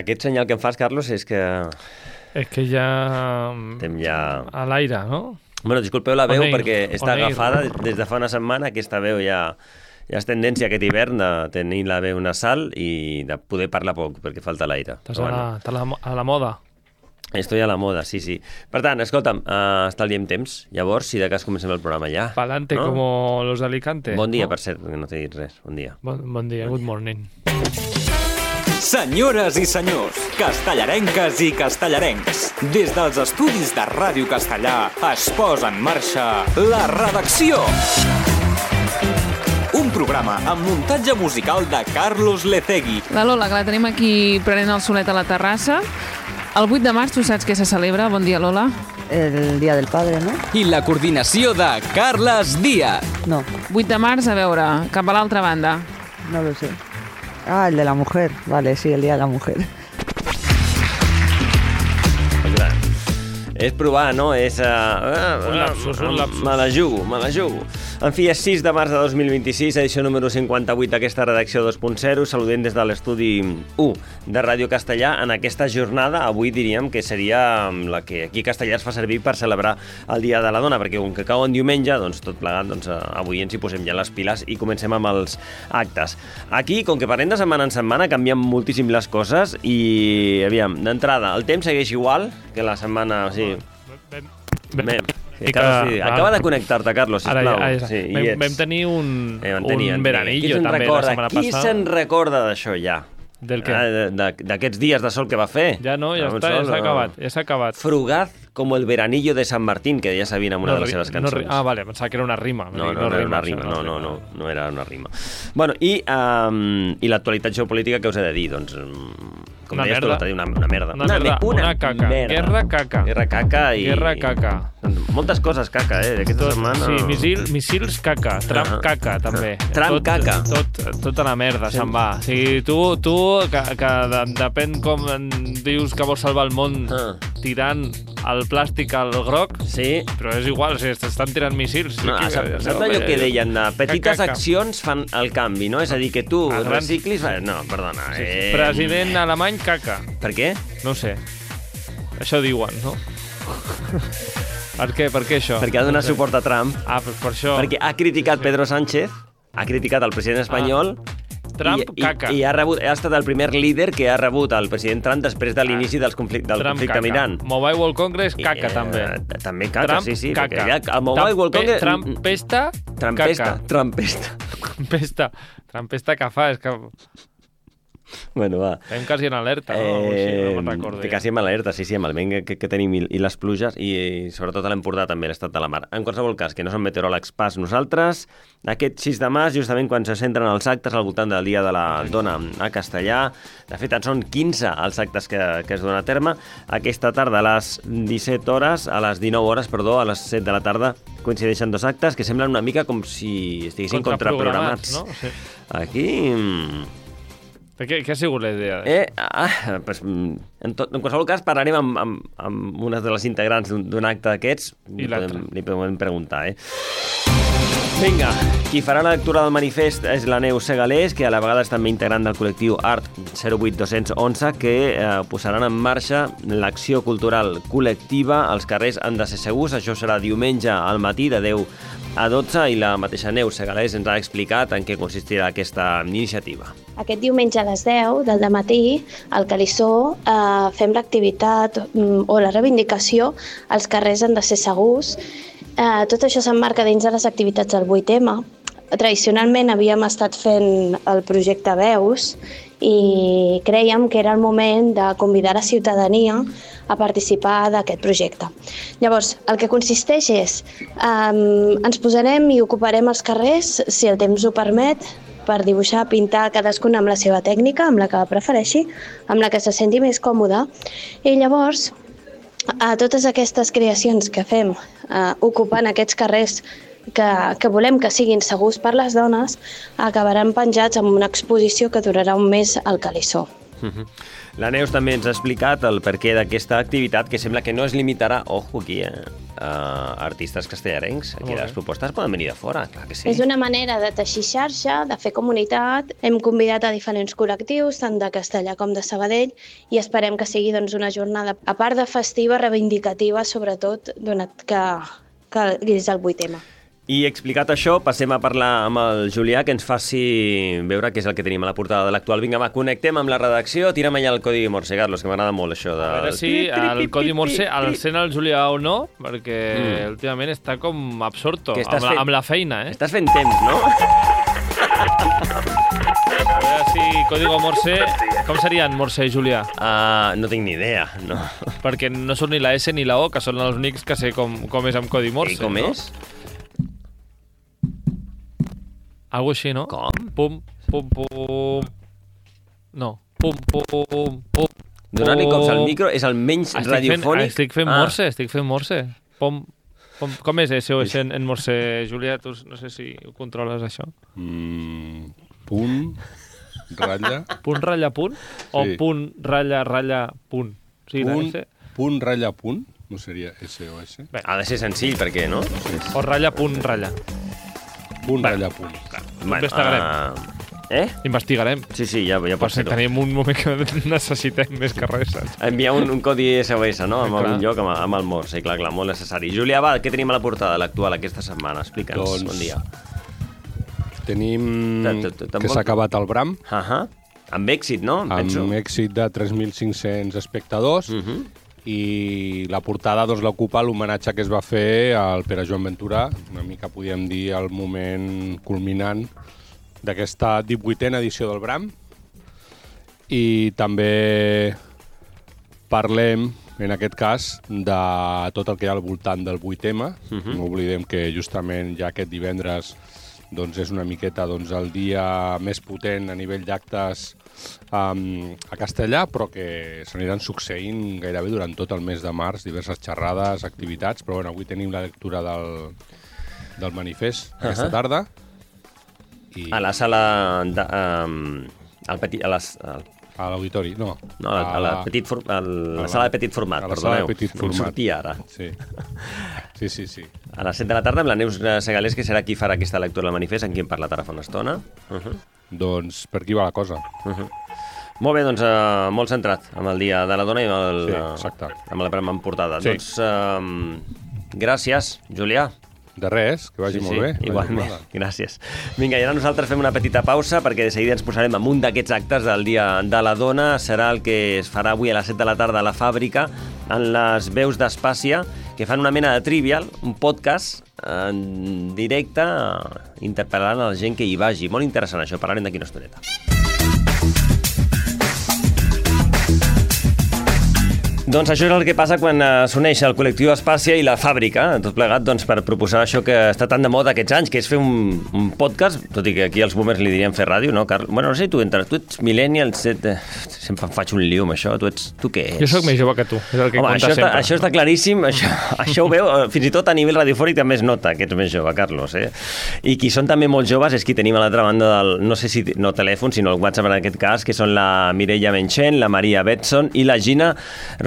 Aquest senyal que em fas, Carlos, és que... És que ja... Estem ja... A l'aire, no? Bueno, disculpeu la veu perquè està agafada des de fa una setmana. Aquesta veu ja és tendència aquest hivern de tenir la veu nasal i de poder parlar poc perquè falta l'aire. Estàs a la moda. Estoy a la moda, sí. Per tant, escolta'm, estalviem temps. Llavors, si de cas comencem el programa ja. Pa'lante, ¿no? Como los de Alicante. Bon dia, per cert, que no t'he dit res. Bon dia. Bon dia, good morning. Senyores i senyors, castellarenques i castellarencs, des dels estudis de Ràdio Castellà es posa en marxa La Redacció. Un programa amb muntatge musical de Carlos Lecegui. La Lola, que la tenim aquí prenent el solet a la terrassa. El 8 de març, tu saps què se celebra? Bon dia, Lola. El Día del Padre, ¿no? I la coordinació de Carles Díaz. No. 8 de març, a veure, cap a l'altra banda. No lo sé. Ah, el de la mujer. Vale, sí, el Día de la Mujer. És provar, no? És... Un lapsus. Me la jugo. En fi, és 6 de març de 2026, edició número 58 d'aquesta redacció 2.0. Saludem des de l'estudi 1 de Ràdio Castellà en aquesta jornada. Avui diríem que seria la que aquí a Castellà es fa servir per celebrar el Dia de la Dona, perquè com que cau en diumenge, doncs tot plegat, avui ens hi posem ja les piles i comencem amb els actes. Aquí, com que parlem de setmana en setmana, canvien moltíssim les coses i, aviam, d'entrada, el temps segueix igual que la setmana... Sí. Acaba de connectar-te, Carlos, sisplau. Vam tenir un veranillo també la setmana passada. Qui se'n recorda d'això ja? Del què? D'aquests dies de sol que va fer. Ja no, ja s'ha acabat. Frugaz com el veranillo de San Martín, que ja sabien en una de les seves cançons. Vale, pensava que era una rima. No era una rima, no era una rima. Bueno, i l'actualitat geopolítica, què us he de dir? Doncs, com deies tu l'altre dia, una merda. Una caca. Guerra caca. Guerra caca. Moltes coses caca, d'aquesta setmana. Sí, missils caca, Trump caca, també. Trump caca. Tota la merda se'n va. O sigui, tu que depèn com dius que vols salvar el món tirant el plàstic al groc, sí, però és igual, s'estan tirant missils. Saps allò que deien? Petites accions fan el canvi, no? És a dir, que tu reciclis... No, perdona. President alemany caca. Per què? No ho sé. Això diuen, no? Per què això? Perquè ha donat suport a Trump. Per això. Perquè ha criticat Pedro Sánchez, ha criticat el president espanyol... Trump caca. I ha estat el primer líder que ha rebut el president Trump després de l'inici del conflicte amb Iran. Mobile World Congress, caca, també. També caca, Trump, sí. Caca. El Mobile World Congress... Trampesta que fa, és que... Bueno, va. Estem quasi en alerta, no? No me'n recordo. Quasi en alerta, sí, amb el vent que tenim i les pluges i sobretot a l'Empordà també l'estat de la mar. En qualsevol cas, que no som meteoròlegs pas nosaltres, aquest 6 de març, justament quan se centren els actes al voltant del Dia de la Dona a Castellà, de fet en són 15 els actes que es donen a terme, aquesta tarda a les 17 hores, a les 19 hores, a les 7 de la tarda, coincideixen dos actes que semblen una mica com si estiguessin contraprogramats. No? Sí. Aquí... Què ha sigut la idea? En qualsevol cas parlarem amb una de les integrants d'un acte d'aquests. Li podem preguntar, Vinga, qui farà la lectura del manifest és la Neus Segalés, que a la vegada és també integrant del col·lectiu Art 08211, que posaran en marxa l'acció cultural col·lectiva. Els carrers han de ser segurs. Això serà diumenge al matí de 10 a 12 i la mateixa Neus Segalés ens ha explicat en què consistirà aquesta iniciativa. Aquest diumenge a les 10 del matí, al Calissó, fem l'activitat o la reivindicació. Els carrers han de ser segurs. Tot això s'emmarca dins de les activitats del 8M. Tradicionalment havíem estat fent el projecte Veus i crèiem que era el moment de convidar la ciutadania a participar d'aquest projecte. Llavors, el que consisteix és ens posarem i ocuparem els carrers, si el temps ho permet, per dibuixar, pintar cadascun amb la seva tècnica, amb la que prefereixi, amb la que se senti més còmode. I llavors, a totes aquestes creacions que fem ocupant aquests carrers que volem que siguin segurs per les dones, acabaran penjats en una exposició que durarà un mes al Calissó. La Neus també ens ha explicat el perquè d'aquesta activitat, que sembla que no es limitarà, ojo aquí, a artistes castellarencs. Aquí les propostes poden venir de fora, clar que sí. És una manera de teixir xarxa, de fer comunitat. Hem convidat a diferents col·lectius, tant de Castellà com de Sabadell, i esperem que sigui doncs, una jornada, a part de festiva, reivindicativa, sobretot, donat que és el 8M. I explicat això, passem a parlar amb el Julià, que ens faci veure què és el que tenim a la portada de l'actual. Vinga, va, connectem amb la redacció, tira'm allà el codi Morse, Carlos, que m'agrada molt això de... A veure si el codi Morse el sent el Julià o no, perquè últimament està com absorto amb la feina, Estàs fent temps, no? A veure si código Morse... Com seria en Morse, Julià? No tinc ni idea, no. Perquè no són ni la S ni la O, que són els únics que sé com és amb codi Morse. I com és? Algo així, no? Com? Pum, pum, pum... No. Pum, pum, pum... Donar-li cops al micro és el menys radiofònic. Estic fent Morse. Pum, pum... Com és SOS en Morse, Julià? Tu no sé si ho controles, això. Punt, ratlla... Punt, ratlla, punt? O punt, ratlla, ratlla, punt? Sí, punt, ratlla, punt? No seria SOS? Bé, ha de ser senzill, perquè, no? O ratlla, punt, ratlla. Punt, ratlla, punt. Investigarem. Investigarem. Sí, ja pot ser-ho. Tenim un moment que necessitem més que res. Enviar un codi SOS, no? En algun lloc amb el Morse, clar, molt necessari. Julià, va, què tenim a la portada de l'actual aquesta setmana? Explica'ns, bon dia. Tenim que s'ha acabat el Bram. Amb èxit, no? Amb èxit de 3.500 espectadors. I la portada doncs, l'ocupa l'homenatge que es va fer al Pere Joan Ventura, una mica podríem dir el moment culminant d'aquesta 18a edició del Bram. I també parlem, en aquest cas, de tot el que hi ha al voltant del 8M. No oblidem que justament ja aquest divendres doncs, és una miqueta el dia més potent a nivell d'actes a Castellà, però que s'aniran succeint gairebé durant tot el mes de març, diverses xerrades, activitats, però avui tenim la lectura del manifest aquesta tarda. A la sala... A l'auditori, no. A la sala de petit format, perdoneu. Em sortia ara. Sí. A les 7 de la tarda amb la Neus Segalés, que serà qui farà aquesta lectura del manifest, amb qui hem parlat ara fa una estona. Doncs per aquí va la cosa. Molt bé, doncs molt centrat amb el Dia de la Dona i amb la prima portada. Doncs gràcies, Julià. De res, que vagi molt bé. Igualment, gràcies. Vinga, i ara nosaltres fem una petita pausa perquè de seguida ens posarem en un d'aquests actes del Dia de la Dona. Serà el que es farà avui a les 7 de la tarda a la Fàbrica, en les veus d'Espàcia, que fan una mena de trivial, un podcast en directe, interpel·lant a la gent que hi vagi. Molt interessant això, parlarem d'aquí una estoneta. Doncs això és el que passa quan s'uneix el col·lectiu Espàcia i la Fàbrica, tot plegat per proposar això que està tan de moda aquests anys, que és fer un podcast, tot i que aquí els boomers li dirien fer ràdio, no, Carl? Bueno, no sé, tu ets millennial, sempre em faig un lío amb això, tu què ets? Jo sóc més jove que tu, és el que conta sempre. Això està claríssim, això ho veu, fins i tot a nivell radiofònic també es nota que ets més jove, Carlos, I qui són també molt joves és qui tenim a l'altra banda del, no sé si no telèfon, sinó el WhatsApp en aquest cas, que són la Mireia Menchen, la Maria Betson i la Gina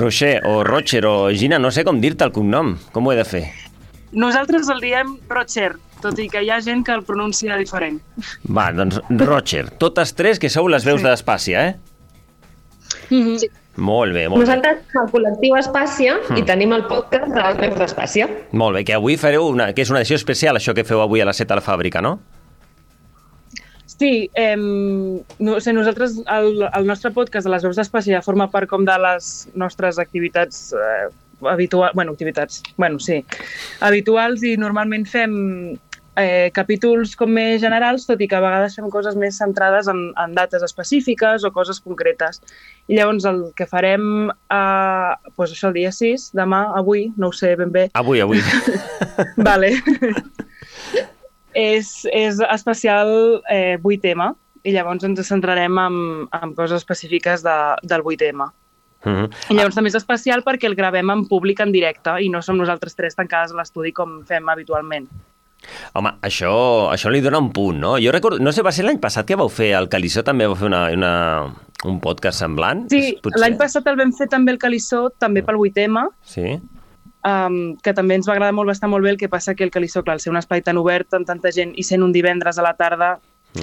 Rocher o Gina, no sé com dir-te el cognom. Com ho he de fer? Nosaltres el diem Rocher, tot i que hi ha gent que el pronuncia diferent. Va, doncs Rocher. Totes tres que sou les veus d'Espàcia, Sí. Molt bé, Nosaltres som el col·lectiu Espàcia i tenim el podcast de les veus d'Espàcia. Molt bé, que avui fareu que és una edició especial, això que feu avui a les 7 a la Fàbrica, no? Sí, nosaltres, el nostre podcast de les veus d'Espàcia forma part com de les nostres activitats habituals i normalment fem capítols com més generals, tot i que a vegades fem coses més centrades en dates específiques o coses concretes. I llavors el que farem això el dia 6, demà, avui, no ho sé ben bé. Avui. Vale. És especial 8M i llavors ens centrarem en coses específiques del 8M. I llavors també és especial perquè el gravem en públic en directe i no som nosaltres tres tancades a l'estudi com fem habitualment. Home, això li dona un punt, no? Jo recordo, no sé, va ser l'any passat que vau fer, el Calissó també vau fer un podcast semblant? Sí, l'any passat el vam fer també el Calissó, també pel 8M, sí. Que també ens va agradar molt, va estar molt bé, el que passa que el Calissó, clar, al ser un espai tan obert amb tanta gent i sent un divendres a la tarda,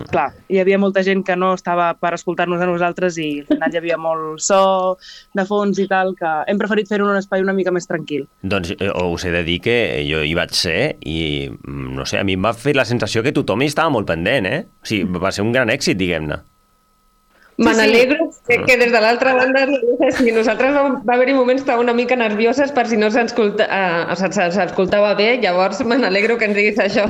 clar, hi havia molta gent que no estava per escoltar-nos a nosaltres i al final hi havia molt so de fons i tal, que hem preferit fer-ho en un espai una mica més tranquil. Doncs us he de dir que jo hi vaig ser i, no sé, a mi em va fer la sensació que tothom hi estava molt pendent, O sigui, va ser un gran èxit, diguem-ne. Me n'alegro que des de l'altra banda, si nosaltres va haver-hi moments que estava una mica nervioses per si no s'escoltava bé, llavors me n'alegro que ens diguis això.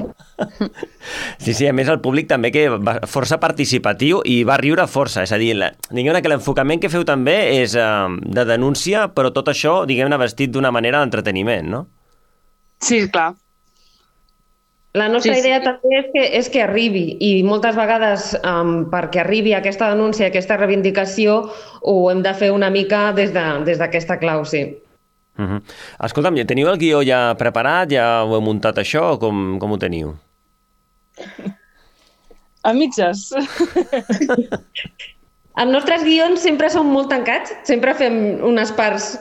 Sí, a més el públic també que va força participatiu i va riure força, és a dir, diguem-ne que l'enfocament que feu també és de denúncia, però tot això, diguem-ne, vestit d'una manera d'entreteniment, no? Sí, clar. La nostra idea també és que arribi i moltes vegades perquè arribi aquesta denúncia, aquesta reivindicació, ho hem de fer una mica des d'aquesta clau, sí. Escolta'm, teniu el guió ja preparat? Ja ho heu muntat això? Com ho teniu? A mitges. Els nostres guions sempre són molt tancats, sempre fem unes parts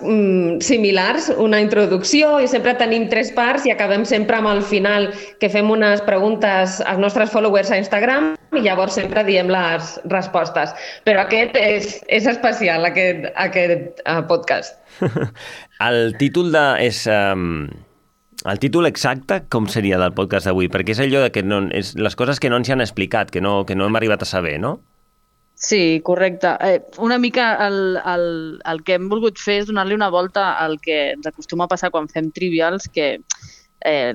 similars, una introducció i sempre tenim 3 parts i acabem sempre amb el final que fem unes preguntes als nostres followers a Instagram i llavors sempre diem les respostes. Però aquest és especial, aquest podcast. El títol el títol exacte com seria del podcast d'avui? Perquè és allò de que és les coses que no ens han explicat, que no hem arribat a saber, no? Sí, correcte. Una mica el que hem volgut fer és donar-li una volta al que ens acostuma a passar quan fem trivials, que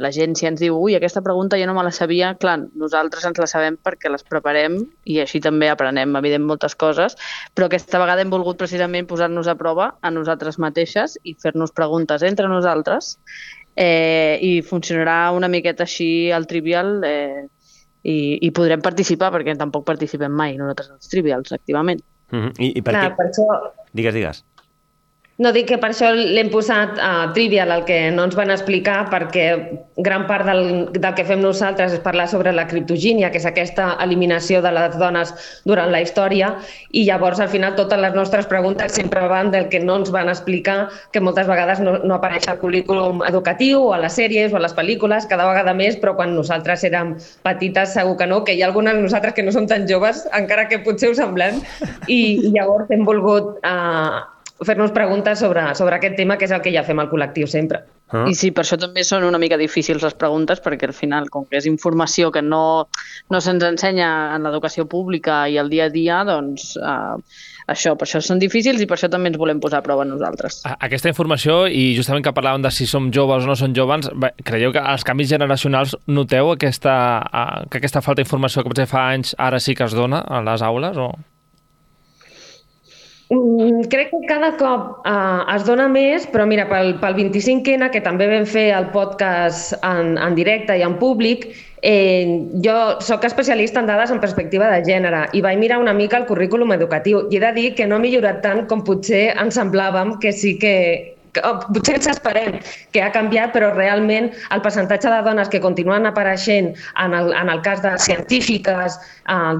la gent si ens diu ui, aquesta pregunta jo no me la sabia, clar, nosaltres ens la sabem perquè les preparem i així també aprenem, evident, moltes coses, però aquesta vegada hem volgut precisament posar-nos a prova a nosaltres mateixes i fer-nos preguntes entre nosaltres i funcionarà una miqueta així el trivial i podrem participar, perquè tampoc participem mai nosaltres als trivials activament. I per què? Per això... Digues. No, dic que per això l'hem posat a Trivial, el que no ens van explicar, perquè gran part del que fem nosaltres és parlar sobre la criptogínia, que és aquesta eliminació de les dones durant la història, i llavors al final totes les nostres preguntes sempre van del que no ens van explicar, que moltes vegades no apareix al currículum educatiu, o a les sèries, o a les pel·lícules, cada vegada més, però quan nosaltres érem petites segur que no, que hi ha algunes de nosaltres que no som tan joves, encara que potser ho semblem, i llavors hem volgut fer-nos preguntes sobre aquest tema, que és el que ja fem al col·lectiu sempre. I sí, per això també són una mica difícils les preguntes, perquè al final, com que és informació que no se'ns ensenya en l'educació pública i el dia a dia, doncs per això són difícils i per això també ens volem posar a prova nosaltres. Aquesta informació, i justament que parlàvem de si som joves o no som joves, creieu que als canvis generacionals noteu que aquesta falta d'informació que potser fa anys ara sí que es dona a les aules? O... Crec que cada cop es dona més, però mira, pel 25N, que també vam fer el podcast en directe i en públic, jo sóc especialista en dades en perspectiva de gènere i vaig mirar una mica el currículum educatiu i he de dir que no ha millorat tant com potser ens semblàvem que sí que potser ens esperem que ha canviat, però realment el percentatge de dones que continuen apareixent en el cas de científiques,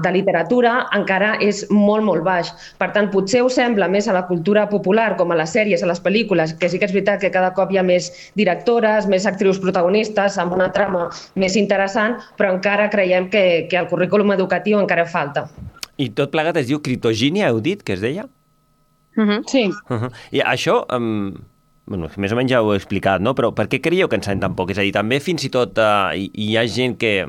de literatura, encara és molt, molt baix. Per tant, potser us sembla més a la cultura popular, com a les sèries, a les pel·lícules, que sí que és veritat que cada cop hi ha més directores, més actrius protagonistes, amb una trama més interessant, però encara creiem que el currículum educatiu encara falta. I tot plegat es diu criptogínia, heu dit, que es deia? Sí. I això... Bueno, més o menys ja ho he explicat, no? Però per què creieu que en sabem tan poc? És a dir, també fins i tot hi ha gent que...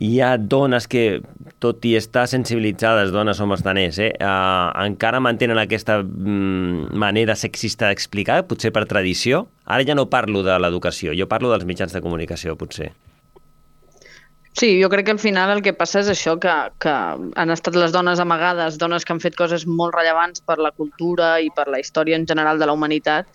Hi ha dones que, tot i estar sensibilitzades, dones o homes encara mantenen aquesta manera sexista d'explicar, potser per tradició. Ara ja no parlo de l'educació, jo parlo dels mitjans de comunicació, potser. Sí, jo crec que al final el que passa és això, que han estat les dones amagades, dones que han fet coses molt rellevants per la cultura i per la història en general de la humanitat,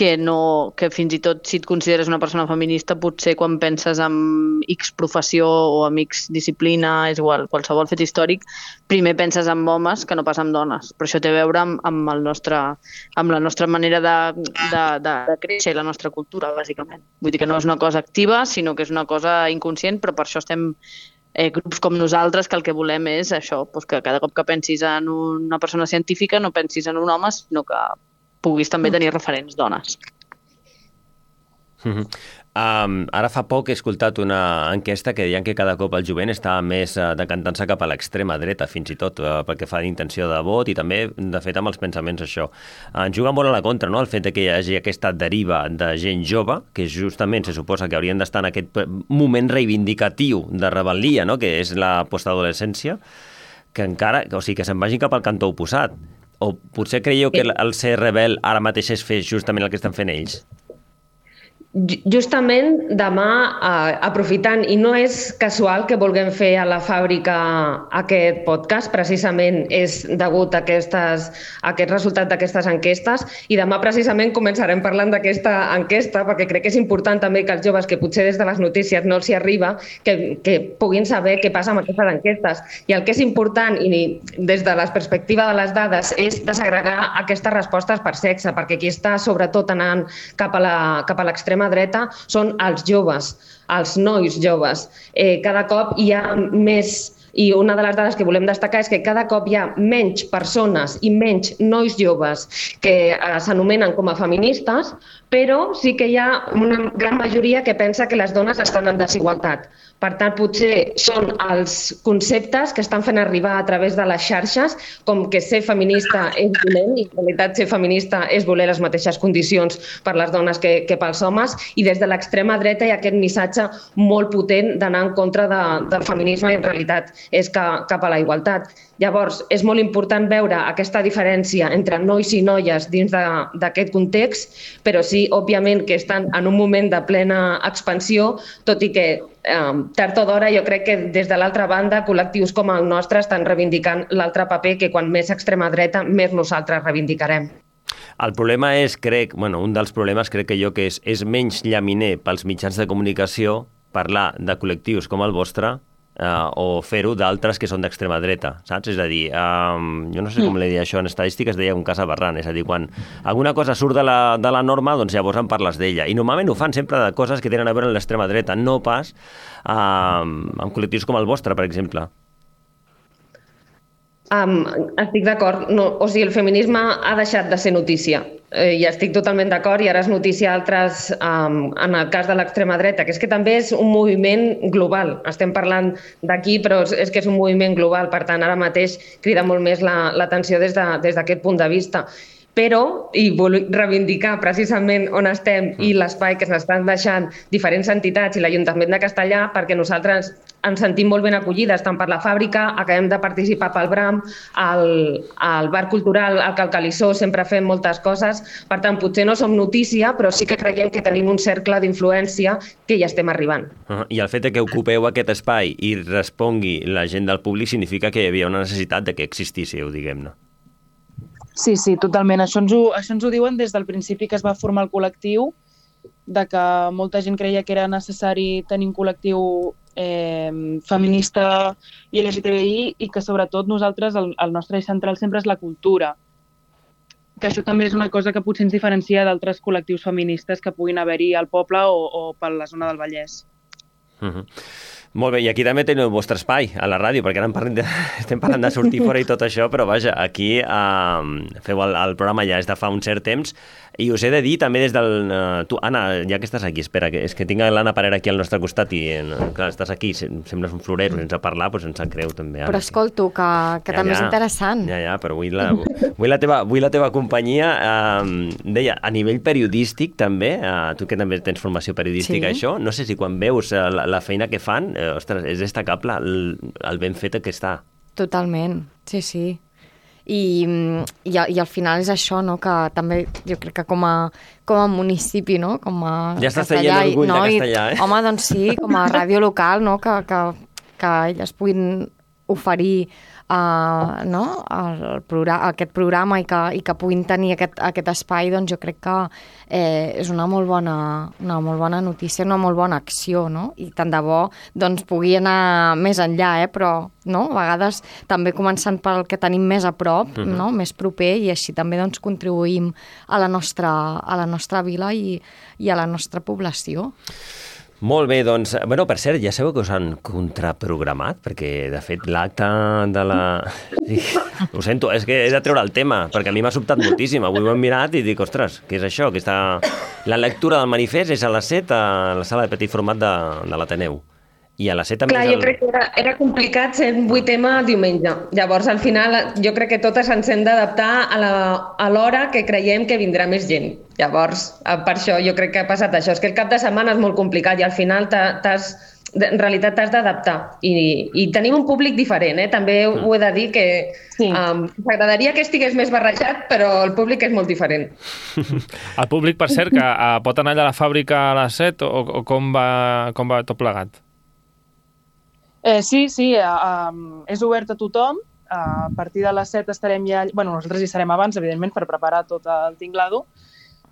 que fins i tot si et consideres una persona feminista, potser quan penses en X professió o en X disciplina, és igual, qualsevol fet històric, primer penses en homes que no pas en dones. Però això té a veure amb la nostra manera de créixer i la nostra cultura, bàsicament. Vull dir que no és una cosa activa, sinó que és una cosa inconscient, però per això estem grups com nosaltres, que el que volem és això, doncs que cada cop que pensis en una persona científica no pensis en un home, sinó que puguis també tenir referents dones. Ara fa poc he escoltat una enquesta que deien que cada cop el jovent està més decantant-se cap a l'extrema dreta, fins i tot perquè fa d'intenció de vot i també, de fet, amb els pensaments això. Ens juga molt a la contra, no?, el fet que hi hagi aquesta deriva de gent jove, que justament se suposa que haurien d'estar en aquest moment reivindicatiu de rebel·lia, no?, que és la postadolescència, que encara, o sigui, que se'n vagin cap al cantó oposat. O potser creieu que el ser rebel ara mateix és fer justament el que estan fent ells? Justament demà, aprofitant, i no és casual que vulguem fer a la fàbrica aquest podcast, precisament és degut a aquest resultat d'aquestes enquestes, i demà precisament començarem parlant d'aquesta enquesta, perquè crec que és important també que els joves, que potser des de les notícies no els hi arriba, que puguin saber què passa amb aquestes enquestes. I el que és important, i des de la perspectiva de les dades, és desagregar aquestes respostes per sexe, perquè qui està sobretot anant cap a l'extrema dreta són els joves, els nois joves. Cada cop hi ha més, i una de les dades que volem destacar és que cada cop hi ha menys persones i menys nois joves que s'anomenen com a feministes, però sí que hi ha una gran majoria que pensa que les dones estan en desigualtat. Per tant, potser són els conceptes que estan fent arribar a través de les xarxes, com que ser feminista és dolent, i en realitat ser feminista és voler les mateixes condicions per les dones que pels homes, i des de l'extrema dreta hi ha aquest missatge molt potent d'anar en contra del feminisme, i en realitat és cap a la igualtat. Llavors, és molt important veure aquesta diferència entre nois i noies dins d'aquest context, però sí, òbviament, que estan en un moment de plena expansió, tot i que tard o d'hora jo crec que des de l'altra banda col·lectius com el nostre estan reivindicant l'altre paper, que quan més extrema dreta més nosaltres reivindicarem. El problema és, un dels problemes crec que és menys llaminer pels mitjans de comunicació parlar de col·lectius com el vostre o fer-ho d'altres que són d'extrema dreta, saps? És a dir, jo no sé com li deia això, en estadístiques deia un cas aberrant, és a dir, quan alguna cosa surt de la norma, doncs llavors en parles d'ella, i normalment ho fan sempre de coses que tenen a veure amb l'extrema dreta, no pas amb col·lectius com el vostre, per exemple. Estic d'acord. O sigui, el feminisme ha deixat de ser notícia. I estic totalment d'acord, i ara és notícia altres, en el cas de l'extrema dreta, que és que també és un moviment global. Estem parlant d'aquí, però és que és un moviment global, per tant, ara mateix crida molt més l'atenció des d'aquest punt de vista. Però, i vull reivindicar precisament on estem i l'espai que s'estan deixant diferents entitats i l'Ajuntament de Castellà, perquè nosaltres ens sentim molt ben acollides, tant per la fàbrica, acabem de participar pel BRAM, al bar cultural, al Calcalissó, sempre fem moltes coses. Per tant, potser no som notícia, però sí que creiem que tenim un cercle d'influència que hi estem arribant. I el fet que ocupeu aquest espai i respongui la gent del públic significa que hi havia una necessitat de que existíssiu, diguem-ne. Sí, totalment. Això ens ho diuen des del principi que es va formar el col·lectiu, de que molta gent creia que era necessari tenir un col·lectiu feminista i LGTBI, i que sobretot nosaltres, el nostre eix central sempre és la cultura. Que això també és una cosa que potser ens diferencia d'altres col·lectius feministes que puguin haver-hi al poble o per la zona del Vallès. Molt bé, i aquí també teniu el vostre espai, a la ràdio, perquè ara estem parlant de sortir fora i tot això, però vaja, aquí feu el programa ja des de fa un cert temps, i us he de dir també des del... Tu, Anna, ja que estàs aquí, espera, és que tinc l'Anna Parera aquí al nostre costat i, clar, estàs aquí, sembles un florero sense parlar, doncs ens sap greu també. Però escolto, que també és interessant. Ja, però vull la teva companyia. Deia, a nivell periodístic també, tu que també tens formació periodística, això, no sé si quan veus la feina que fan, ostres, és destacable el ben fet que està. Totalment, sí. I al final és això, no?, que també jo crec que com a municipi, no?, com a ja estàs traient l'orgull de Castellà, Home, doncs sí, com a ràdio local, no?, que elles puguin oferir aquest programa i que puguin tenir aquest espai, doncs jo crec que és una molt bona notícia, una molt bona acció, no? I tant de bo doncs, pugui anar més enllà, però no? A vegades també començant pel que tenim més a prop, no? Més proper, i així també doncs, contribuïm a la nostra vila i a la nostra població. Molt bé, doncs... Bueno, per cert, ja sabeu que us han contraprogramat? Perquè, de fet, l'acte de la... Sí, ho sento, és que he de treure el tema, perquè a mi m'ha sobtat moltíssim. Avui ho hem mirat i dic, ostres, què és això? La lectura del manifest és a les 7 a la sala de petit format de l'Ateneu. I a les 7 també... Clar, jo crec que era complicat ser 8M diumenge. Llavors, al final, jo crec que totes ens hem d'adaptar a l'hora que creiem que vindrà més gent. Llavors, per això jo crec que ha passat això. És que el cap de setmana és molt complicat i al final en realitat t'has d'adaptar. I tenim un públic diferent, també ho he de dir que m'agradaria que estigués més barrejat, però el públic és molt diferent. El públic, per cert, que pot anar allà a la fàbrica a les 7 o com va tot plegat? Sí, és obert a tothom. A partir de les 7 estarem ja... Bueno, nosaltres hi serem abans, evidentment, per preparar tot el tinglado,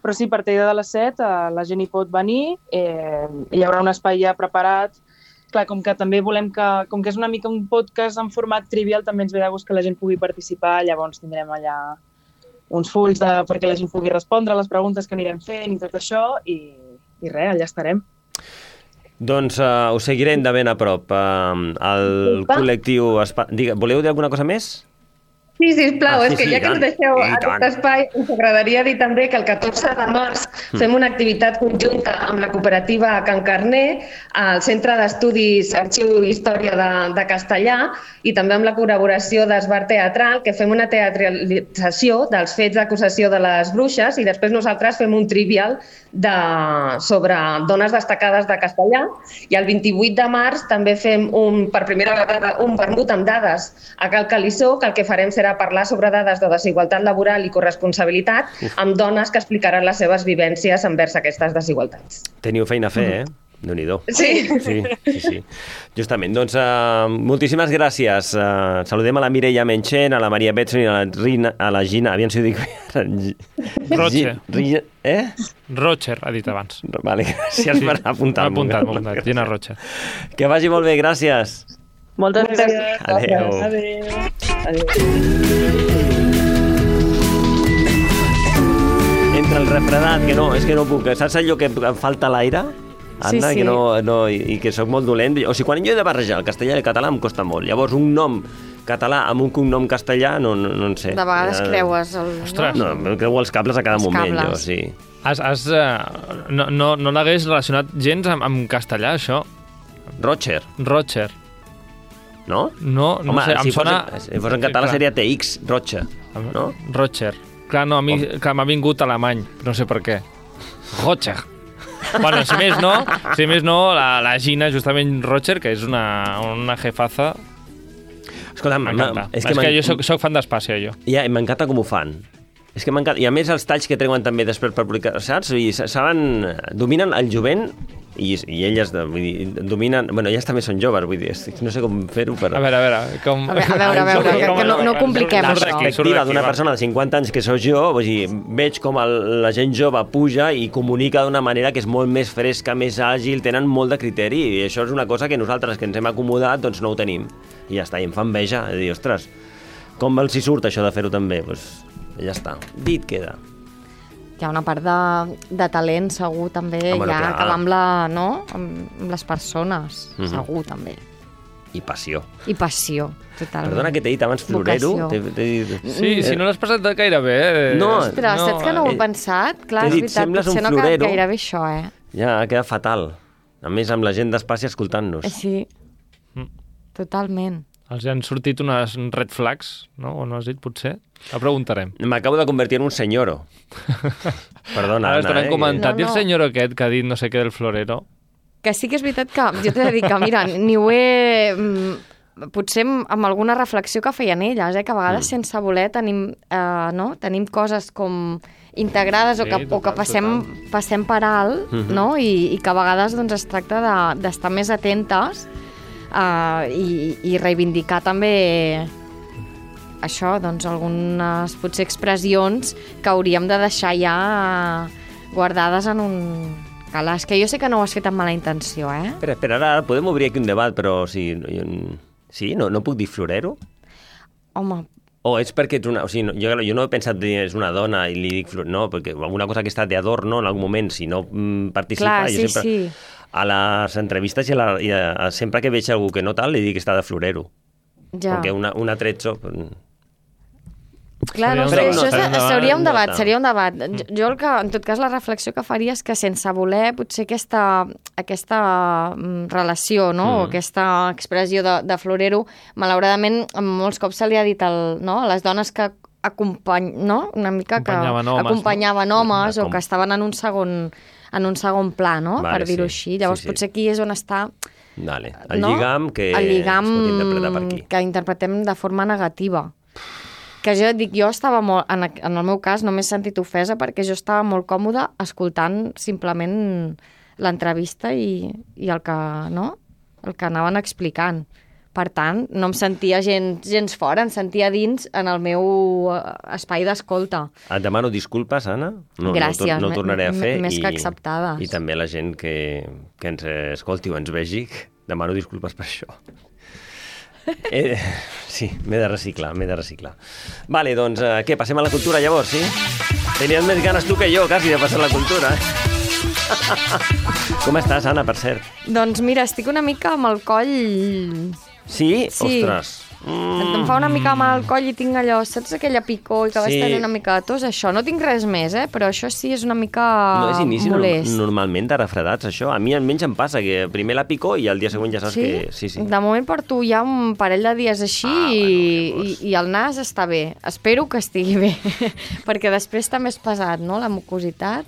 però sí, a partir de les 7 la gent hi pot venir, hi haurà un espai ja preparat. Clar, com que també volem que... Com que és una mica un podcast en format trivial, també ens ve de gust que la gent pugui participar, llavors tindrem allà uns fulls perquè la gent pugui respondre a les preguntes que anirem fent i tot això, i res, allà estarem. Doncs us seguirem de ben a prop. El col·lectiu... Voleu dir alguna cosa més? Sí, sisplau, és que ja que ens deixeu aquest espai, ens agradaria dir també que el 14 de març fem una activitat conjunta amb la cooperativa Can Carner al Centre d'Estudis Arxiu i Història de Castellà i també amb la col·laboració d'Esbar Teatral, que fem una teatralització dels fets d'acusació de les bruixes i després nosaltres fem un trivial sobre dones destacades de Castellà i el 28 de març també fem per primera vegada un vermut amb dades a Cal Calissó, que el que farem serà parlar sobre dades de desigualtat laboral i corresponsabilitat amb dones que explicaran les seves vivències envers aquestes desigualtats. Teniu feina a fer, Déu-n'hi-do. Sí. Sí. Justament. Doncs moltíssimes gràcies. Saludem a la Mireia Menchen, a la Maria Betson i a la Gina. Aviam si ho dic bé. Rocher. Rocher, ha dit abans. Vale, gràcies per apuntar-m'ho. M'ha apuntat. Gina Rocher. Que vagi molt bé, gràcies. Moltes gràcies. Adéu. Entre el refredat, és que no puc. Saps allò que em falta l'aire? Anna, sí. I que sóc molt dolent. O sigui, quan jo he de barrejar el castellà i el català em costa molt. Llavors, un nom català amb un cognom castellà, no en sé. De vegades creues No, em creu els cables a cada moment, jo, sí. No l'hagués relacionat gens amb castellà, això? Rocher. No? No sé, em sona... Si fos en català seria TX, Rocher, no? Rocher. Clar, no, a mi m'ha vingut alemany, no sé per què. Rocher. Bueno, si més no, la Gina, justament Rocher, que és una jefaza... Escolta, m'encanta. És que jo soc fan d'Espàcia, jo. Ja, m'encanta com ho fan. És que m'encanta. I a més els talls que treuen també després per publicar, saps? I dominen el jovent i elles dominen... Bueno, elles també són joves, vull dir, no sé com fer-ho per... A veure, com... A veure, que no compliquem la això. La perspectiva d'una persona de 50 anys que sóc jo, vull dir, veig com la gent jove puja i comunica d'una manera que és molt més fresca, més àgil, tenen molt de criteri, i això és una cosa que nosaltres, que ens hem acomodat, doncs no ho tenim. I ja està, i em fa enveja, de dir, ostres, com els hi surt això de fer-ho també? Doncs ja està, dit queda. Hi ha una part de talent, segur, també, que va amb les persones, segur, també. I passió. Totalment. Perdona que t'he dit abans florero. Sí, si no l'has passat gaire bé. Ostres, saps que no ho he pensat? Clar, és veritat, potser no ha quedat gaire bé això, Ja, ha quedat fatal. A més, amb la gent d'Espàcia escoltant-nos. Sí, totalment. Els han sortit unes red flags, no? O no has dit, potser? La preguntarem. M'acabo de convertir en un senyoro. Perdona, Anna. Ara comentat. I el senyoro aquest que ha dit no sé què del florero? Que sí que és veritat que jo t'he de dir que, mira, ni ho he... Potser amb alguna reflexió que feien elles, que a vegades sense voler tenim coses com integrades o que passem per alt, no? I que a vegades doncs, es tracta d'estar més atentes i reivindicar també això, doncs algunes potser expressions que hauríem de deixar ja guardades en un calaix, que jo sé que no ho has fet amb mala intenció, Espera, ara podem obrir aquí un debat, però sí, no puc dir florero? Home... O és perquè ets una... O sigui, jo no he pensat que és una dona i li dic florero, no, perquè alguna cosa que està d'adorno en algun moment, si no participa... Clar, sí. a les entrevistes i sempre que veig algú que no tal, li dic que està de florero. Ja. Perquè un atrezzo... Clar, no sé, això seria un debat, Jo, en tot cas, la reflexió que faria és que sense voler, potser aquesta relació, no? O aquesta expressió de florero, malauradament, molts cops se li ha dit a les dones que una mica que acompanyaven homes o que estaven en un segon pla, no? Per dir-ho així. Llavors, potser aquí és on està... El lligam que es pot interpretar per aquí. Que interpretem de forma negativa. Que jo dic, jo estava molt, en el meu cas no m'he sentit ofesa perquè jo estava molt còmoda escoltant simplement l'entrevista i el que anaven explicant. Per tant, no em sentia gens fora, em sentia dins en el meu espai d'escolta. Et demano disculpes, Anna. Gràcies, no ho tornaré a fer. Més que acceptades. I també la gent que ens escolti o ens vegi, demano disculpes per això. Sí, m'he de reciclar. Vale, doncs, què, passem a la cultura llavors, sí? Tenies més ganes tu que jo, quasi, de passar a la cultura. Com estàs, Anna, per cert? Doncs mira, estic una mica amb el coll... Sí? Ostres. Em fa una mica mal al coll i tinc allò, saps aquella picor i que vas tenir una mica de tos? Això, no tinc res més, però això sí és una mica molest. Normalment de refredats, això. A mi almenys em passa que primer la picor i el dia següent ja saps que... Sí. De moment porto ja un parell de dies així i el nas està bé. Espero que estigui bé, perquè després també és pesat, no?, la mucositat.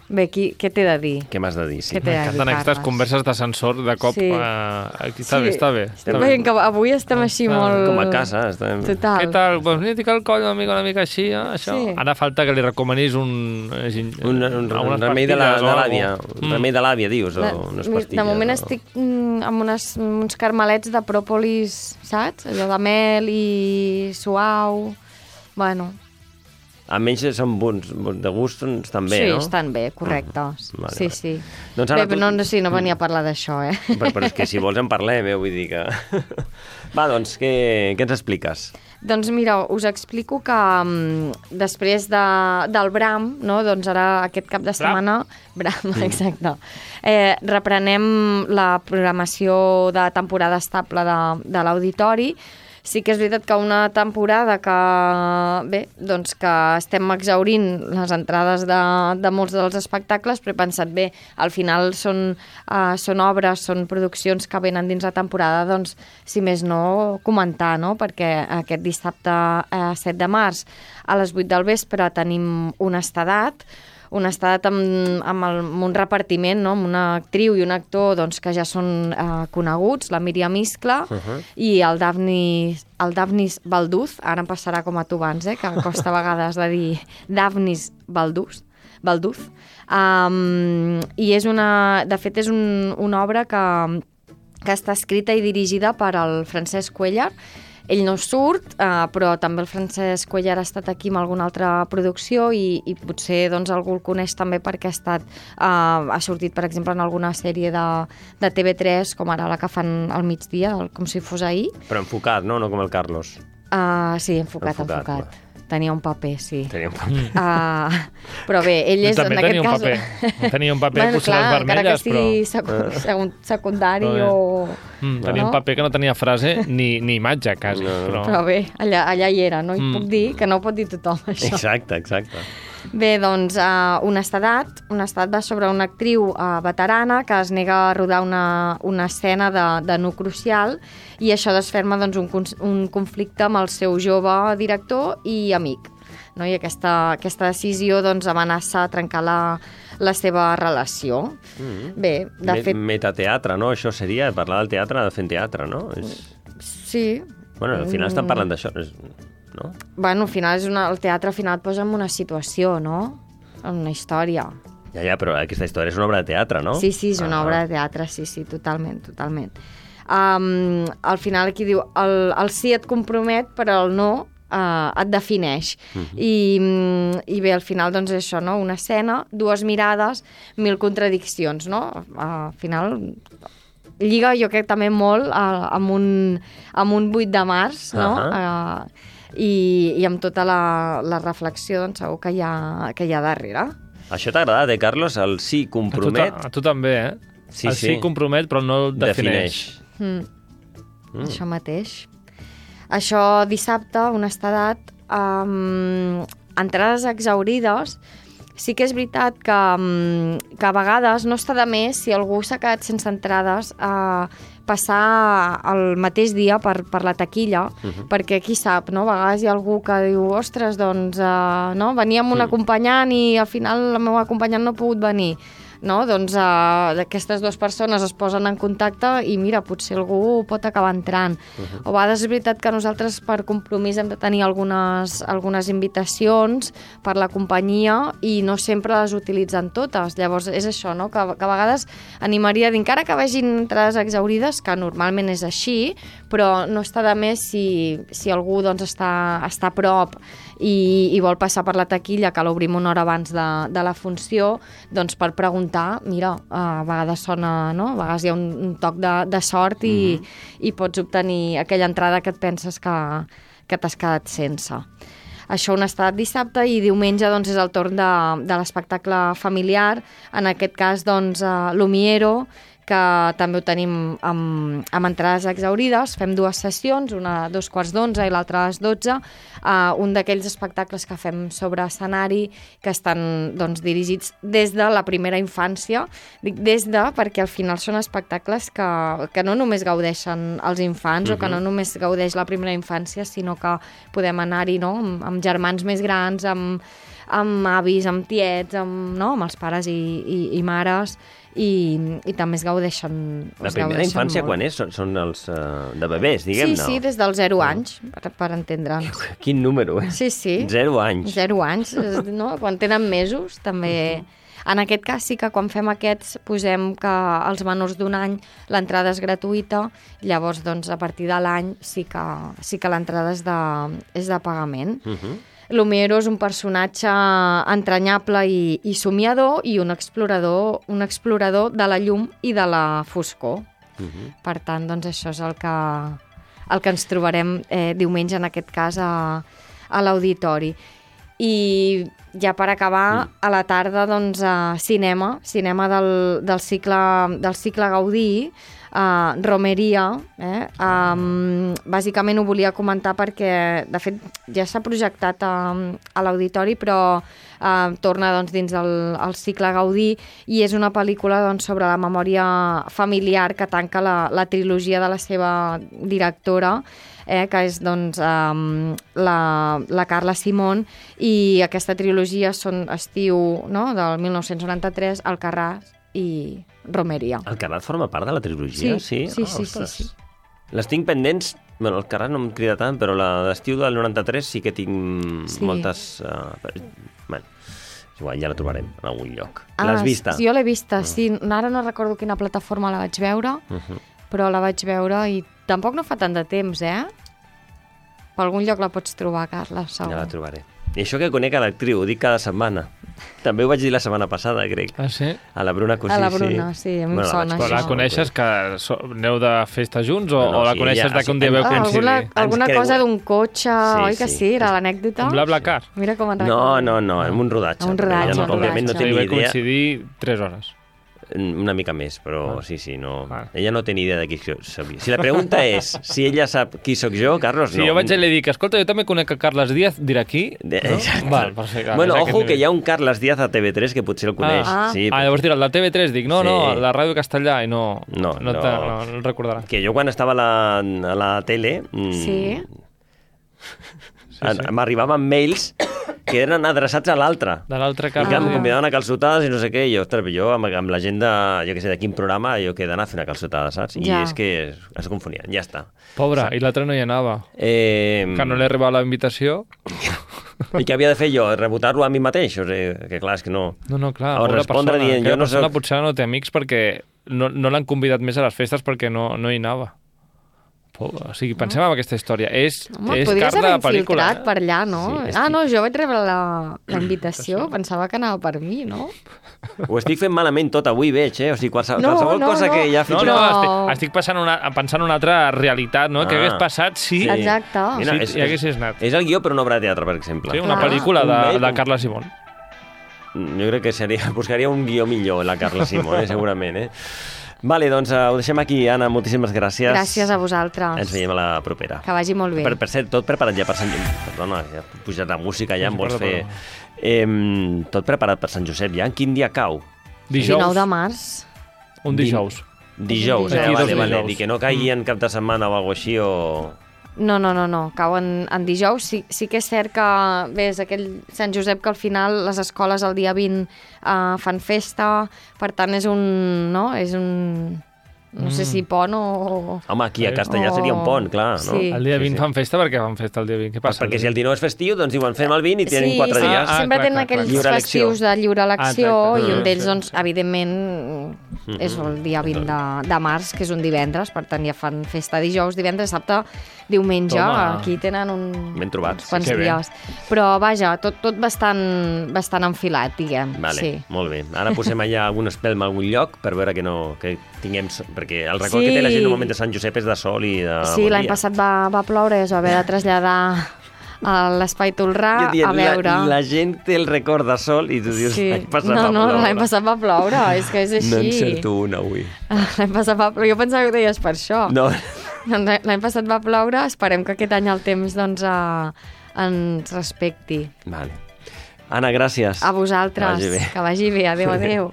Bé, què t'he de dir? Què m'has de dir, sí. M'encanten aquestes converses d'ascensor de cop. Sí. Aquí està bé. Estem veient que avui estem així molt... Com a casa. Total. Què tal? Doncs mira, tinc el coll una mica així, això. Sí. Ara falta que li recomanis un remei de l'àvia. Un remei de l'àvia, dius, o unes pastilles. De moment estic amb uns carmelets de pròpolis, saps? Allò de mel i suau. Bueno... Almenys són bons, de gust estan bé, no? Sí, estan bé, correcte. Sí. Doncs bé, però no venia a parlar d'això, Però és que si vols en parlem, vull dir que... Va, doncs, què ens expliques? Doncs mira, us explico que després del Bram, no? Doncs ara aquest cap de setmana... Bram, exacte. Reprenem la programació de temporada estable de l'Auditori. Sí que és veritat que una temporada que estem exhaurint les entrades de molts dels espectacles, però he pensat, bé, al final són obres, són produccions que venen dins la temporada, doncs, si més no, comentar, no? Perquè aquest dissabte 7 de març a les 8 del vespre tenim Honestedat amb un repartiment, no? Amb una actriu i un actor doncs, que ja són coneguts, la Míriam Iscla i el Dafnis Balduz, ara em passarà com a tu abans, que costa a vegades de dir Dafnis Balduz. I de fet és una obra que està escrita i dirigida per el Francesc Cuéllar. Ell no surt, però també el Francesc Cuéllar ha estat aquí amb alguna altra producció i potser doncs, algú el coneix també perquè ha sortit, per exemple, en alguna sèrie de TV3, com ara la que fan al migdia, com si fos ahir. Però enfocat, no? No com el Carlos. Sí, enfocat. Va. Tenia un paper, sí. Però bé, ell és en aquest cas... Tenia un paper, potser les vermelles, però... Encara que sigui secundari o... Tenia un paper que no tenia frase ni imatge, quasi. Però bé, allà hi era, no? I puc dir que no ho pot dir tothom, això. Exacte. Bé, doncs, Honestedat va sobre una actriu veterana que es nega a rodar una escena de nu crucial i això desferma doncs, un conflicte amb el seu jove director i amic. No? I aquesta decisió doncs, amenaça trencar la seva relació. Bé, de fet... Metateatre, no? Això seria parlar del teatre fent teatre, no? Sí. Bueno, al final estan parlant d'això, no? Bueno, al final el teatre al final et posa en una situació, no? En una història. Ja, però aquesta història és una obra de teatre, no? Sí, és una obra de teatre, sí, totalment. Al final aquí diu, el sí et compromet, però el no et defineix. I bé, al final, doncs, això, no? Una escena, 2 mirades, 1000 contradiccions, no? Al final... Lliga, jo crec, també molt amb un 8 de març, no? I amb tota la reflexió, doncs, segur que hi ha darrere. Això t'ha agradat, Carlos? El sí compromet? A tu també, el sí compromet, però no el defineix. Això mateix. Això dissabte, honestedat, entrades exaurides, sí que és veritat que a vegades no està de més, si algú s'ha quedat sense entrades, passar el mateix dia per la taquilla, perquè qui sap, no? A vegades hi ha algú que diu, ostres, doncs, no? Venia amb un acompanyant i al final el meu acompanyant no ha pogut venir. No? Doncs aquestes dues persones es posen en contacte i mira, potser algú pot acabar entrant. O a vegades és veritat que nosaltres per compromís hem de tenir algunes invitacions per la companyia i no sempre les utilitzen totes. Llavors és això, no? Que a vegades animaria a dir, encara que vegin entrades exaurides, que normalment és així, però no està de més si algú doncs, està a prop i vol passar per la taquilla, que l'obrim una hora abans de la funció, doncs per preguntar, mira, a vegades sona, no? A vegades hi ha un toc de sort i pots obtenir aquella entrada que et penses que t'has quedat sense. Això un estat dissabte i diumenge doncs, és el torn de l'espectacle familiar, en aquest cas doncs, Lumiero, que també ho tenim amb entrades exaurides. Fem 2 sessions, una a 2:15 i l'altra a les 12. Un d'aquells espectacles que fem sobre escenari que estan doncs, dirigits des de la primera infància. Dic perquè al final són espectacles que no només gaudeixen els infants o que no només gaudeix la primera infància, sinó que podem anar-hi, no? Amb germans més grans, amb avis, amb tiets, amb els pares i mares, i també es gaudeixen La primera infància molt. Quan és? Són els de bebès, diguem-ne? Sí, des dels 0 anys, per entendre'ns. Quin número, eh? Sí. 0 anys. 0 anys, no? Quan tenen mesos, també... En aquest cas sí que quan fem aquests posem que als menors d'1 any l'entrada és gratuïta, llavors doncs, a partir de l'any sí que l'entrada és de pagament. Lumiero és un personatge entranyable i somiador i un explorador de la llum i de la foscor. Per tant, doncs això és el que ens trobarem diumenge, en aquest cas, a l'auditori. I ja per acabar, a la tarda, doncs, cinema del cicle Gaudí, Romeria. Bàsicament ho volia comentar perquè, de fet, ja s'ha projectat a l'auditori, però torna doncs, dins el cicle Gaudí i és una pel·lícula doncs, sobre la memòria familiar que tanca la trilogia de la seva directora, que és doncs, la Carla Simón, i aquesta trilogia estiu del 1993, Alcarràs i Romeria. Alcarràs forma part de la trilogia? Sí. Les tinc pendents, bueno, Alcarràs no em crida tant, però la d'estiu del 93 sí que tinc moltes... Bueno, igual ja la trobarem en algun lloc. L'has vista? Jo l'he vista, sí. Ara no recordo quina plataforma la vaig veure, però la vaig veure i tampoc no fa tant de temps, Per algun lloc la pots trobar, Carla, segur. Ja la trobaré. I això que conec a l'actriu, ho dic cada setmana. També ho vaig dir la setmana passada, crec. Ah, sí? A la Bruna Cosí, sí. A la Bruna, sí, a mi em sona això. La coneixes que aneu de festa junts o la coneixes que un dia veu coincidir? Alguna cosa d'un cotxe, oi que sí? Era l'anècdota? Un BlaBlaCar? Mira com en recordo. No, en un rodatge. Un rodatge. Òbviament no té ni idea. I va coincidir 3 hores. Una mica més, però sí, no. Ella no té ni idea de qui soc. Si la pregunta és si ella sap qui sóc jo, Carlos, no. Si jo vaig i li dic, escolta, jo també conec a Carles Díaz, dirà aquí? Exacte. Val, perfecte. Bueno, ojo, que hi ha un Carles Díaz a TV3 que potser el coneix. Llavors dirà, la TV3, dic, no, la Ràdio Castellà, i no el recordarà. Que jo quan estava a la tele... m'arribaven mails que eren adreçats a l'altre. De l'altre Carles. I que em convidaven a calçotades i no sé què. I jo amb la gent de quin programa, jo que he d'anar a fer una calçotada, saps? I és que es confonien, ja està. Pobre, i l'altre no hi anava. Que no li arribava la invitació. I què havia de fer jo? Rebotar-lo a mi mateix? O sigui, que clar, és que no... No, clar. O respondre dient, jo no soc... Potser no té amics perquè no l'han convidat més a les festes perquè no hi anava. O sigui, pensem en aquesta història. És podries haver infiltrat per allà, no? Sí, jo vaig rebre la invitació, pensava que anava per mi, no? Ho estic fent malament tot avui, veig, O sigui, qualsevol cosa que ja... Estic pensant una altra realitat, no? Què hagués passat si hi haguessis anat. És el guió per una obra de teatre, per exemple. Sí, una pel·lícula de Carla Simón. jo crec que buscaria un guió millor, la Carla Simón, segurament, Vale, doncs ho deixem aquí. Anna, moltíssimes gràcies. Gràcies a vosaltres. Ens veiem a la propera. Que vagi molt bé. Per cert, tot preparat ja per Sant Josep. Perdona, ja ha pujat la música, ja em vols fer... tot preparat per Sant Josep, ja? Quin dia cau? Dijous. 19 de març. Un dijous. Dijous, vale. I que no caigui en cap de setmana o alguna així, o... No. Cau en dijous. Sí que és cert que, bé, és aquell Sant Josep que al final les escoles el dia 20 fan festa, per tant és un... No sé si pont o... Home, aquí a Castellà seria un pont, clar, no? Sí. El dia 20 fan festa, perquè fan festa el dia 20. Què passa? Perquè si el 19 és festiu, doncs diuen fem el 20 i tenen 4 dies. Sempre tenen aquells festius de lliure elecció i un d'ells, doncs, evidentment, és el dia 20 de març, que és un divendres, per tant ja fan festa dijous, divendres, dissabte, diumenge. Aquí tenen uns quants dies. Però, vaja, tot bastant enfilat, diguem. Vale, molt bé. Ara posem allà algun espelm a algun lloc per veure que tinguem... Perquè el record que té la gent normalment de Sant Josep és de sol i de... Sí, l'any passat va ploure i es va haver de traslladar a l'Espai Tolrà a veure... La gent té el record de sol i tu dius l'any passat va ploure. No, l'any passat va ploure, és que és així. No encerto una avui. L'any passat va ploure, jo pensava que ho deies per això. No. L'any passat va ploure, esperem que aquest any el temps doncs ens respecti. Vale. Anna, gràcies. A vosaltres, que vagi bé. Adéu.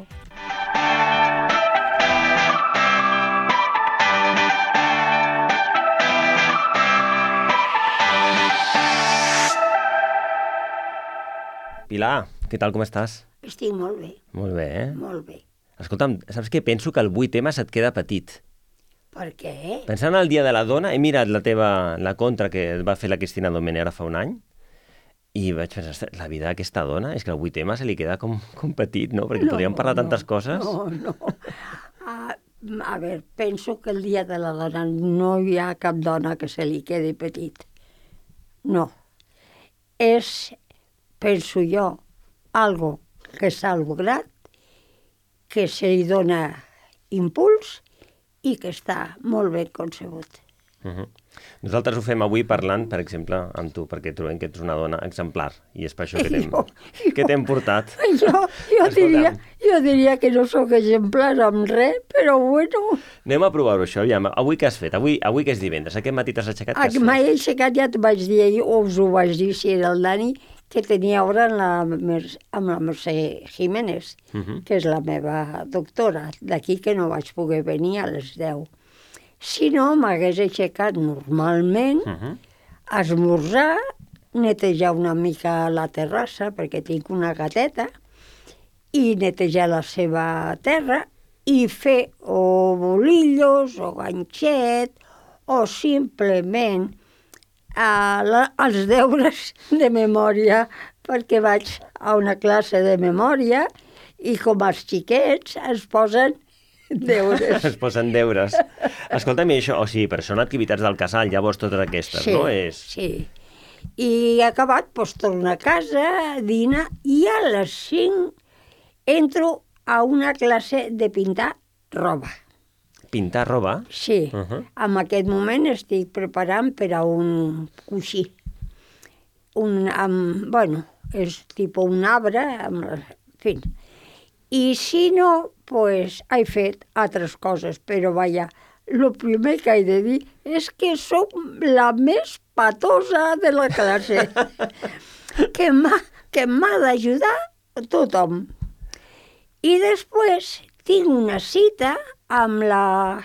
Pilar, què tal, com estàs? Estic molt bé. Molt bé, Molt bé. Escolta'm, saps què? Penso que el 8M se't queda petit. Per què? Pensant en el Dia de la Dona, he mirat la contra que va fer la Cristina Domènech ara fa un any i vaig pensar, la vida d'aquesta dona és que el 8M se li queda com petit, no? Perquè podríem parlar tantes coses. No. A veure, penso que el Dia de la Dona no hi ha cap dona que se li quedi petit. No. És... penso jo, algo que s'ha lograt, que se li dona impuls i que està molt ben concebut. Nosaltres ho fem avui parlant, per exemple, amb tu, perquè trobem que ets una dona exemplar i és per això que t'hem portat. Jo diria que no sóc exemplar amb res, però bueno... Anem a provar-ho, això. Aviam, avui què has fet? Avui que és divendres, aquest matí t'has aixecat? M'he aixecat, ja t'ho vaig dir ahir, o us ho vaig dir si era el Dani, que tenia hora amb la Mercè Jiménez, que és la meva doctora, d'aquí que no vaig poder venir a les 10. Si no, m'hagués aixecat normalment, esmorzar, netejar una mica la terrassa, perquè tinc una gateta, i netejar la seva terra, i fer o bolillos, o ganxet, o simplement els deures de memòria, perquè vaig a una classe de memòria i com els xiquets es posen deures. Es posen deures. Escolta'm, això, però són activitats del casal, llavors totes aquestes, no? Sí. I acabat, doncs torno a casa, dinar, i a les 5 entro a una classe de pintar roba. Pintar roba? Sí. En aquest moment estic preparant per a un coixí. És tipus un arbre, en fi. I si no, doncs he fet altres coses, però vaja, el primer que he de dir és que sóc la més patosa de la classe, que m'ha d'ajudar tothom. I després tinc una cita amb la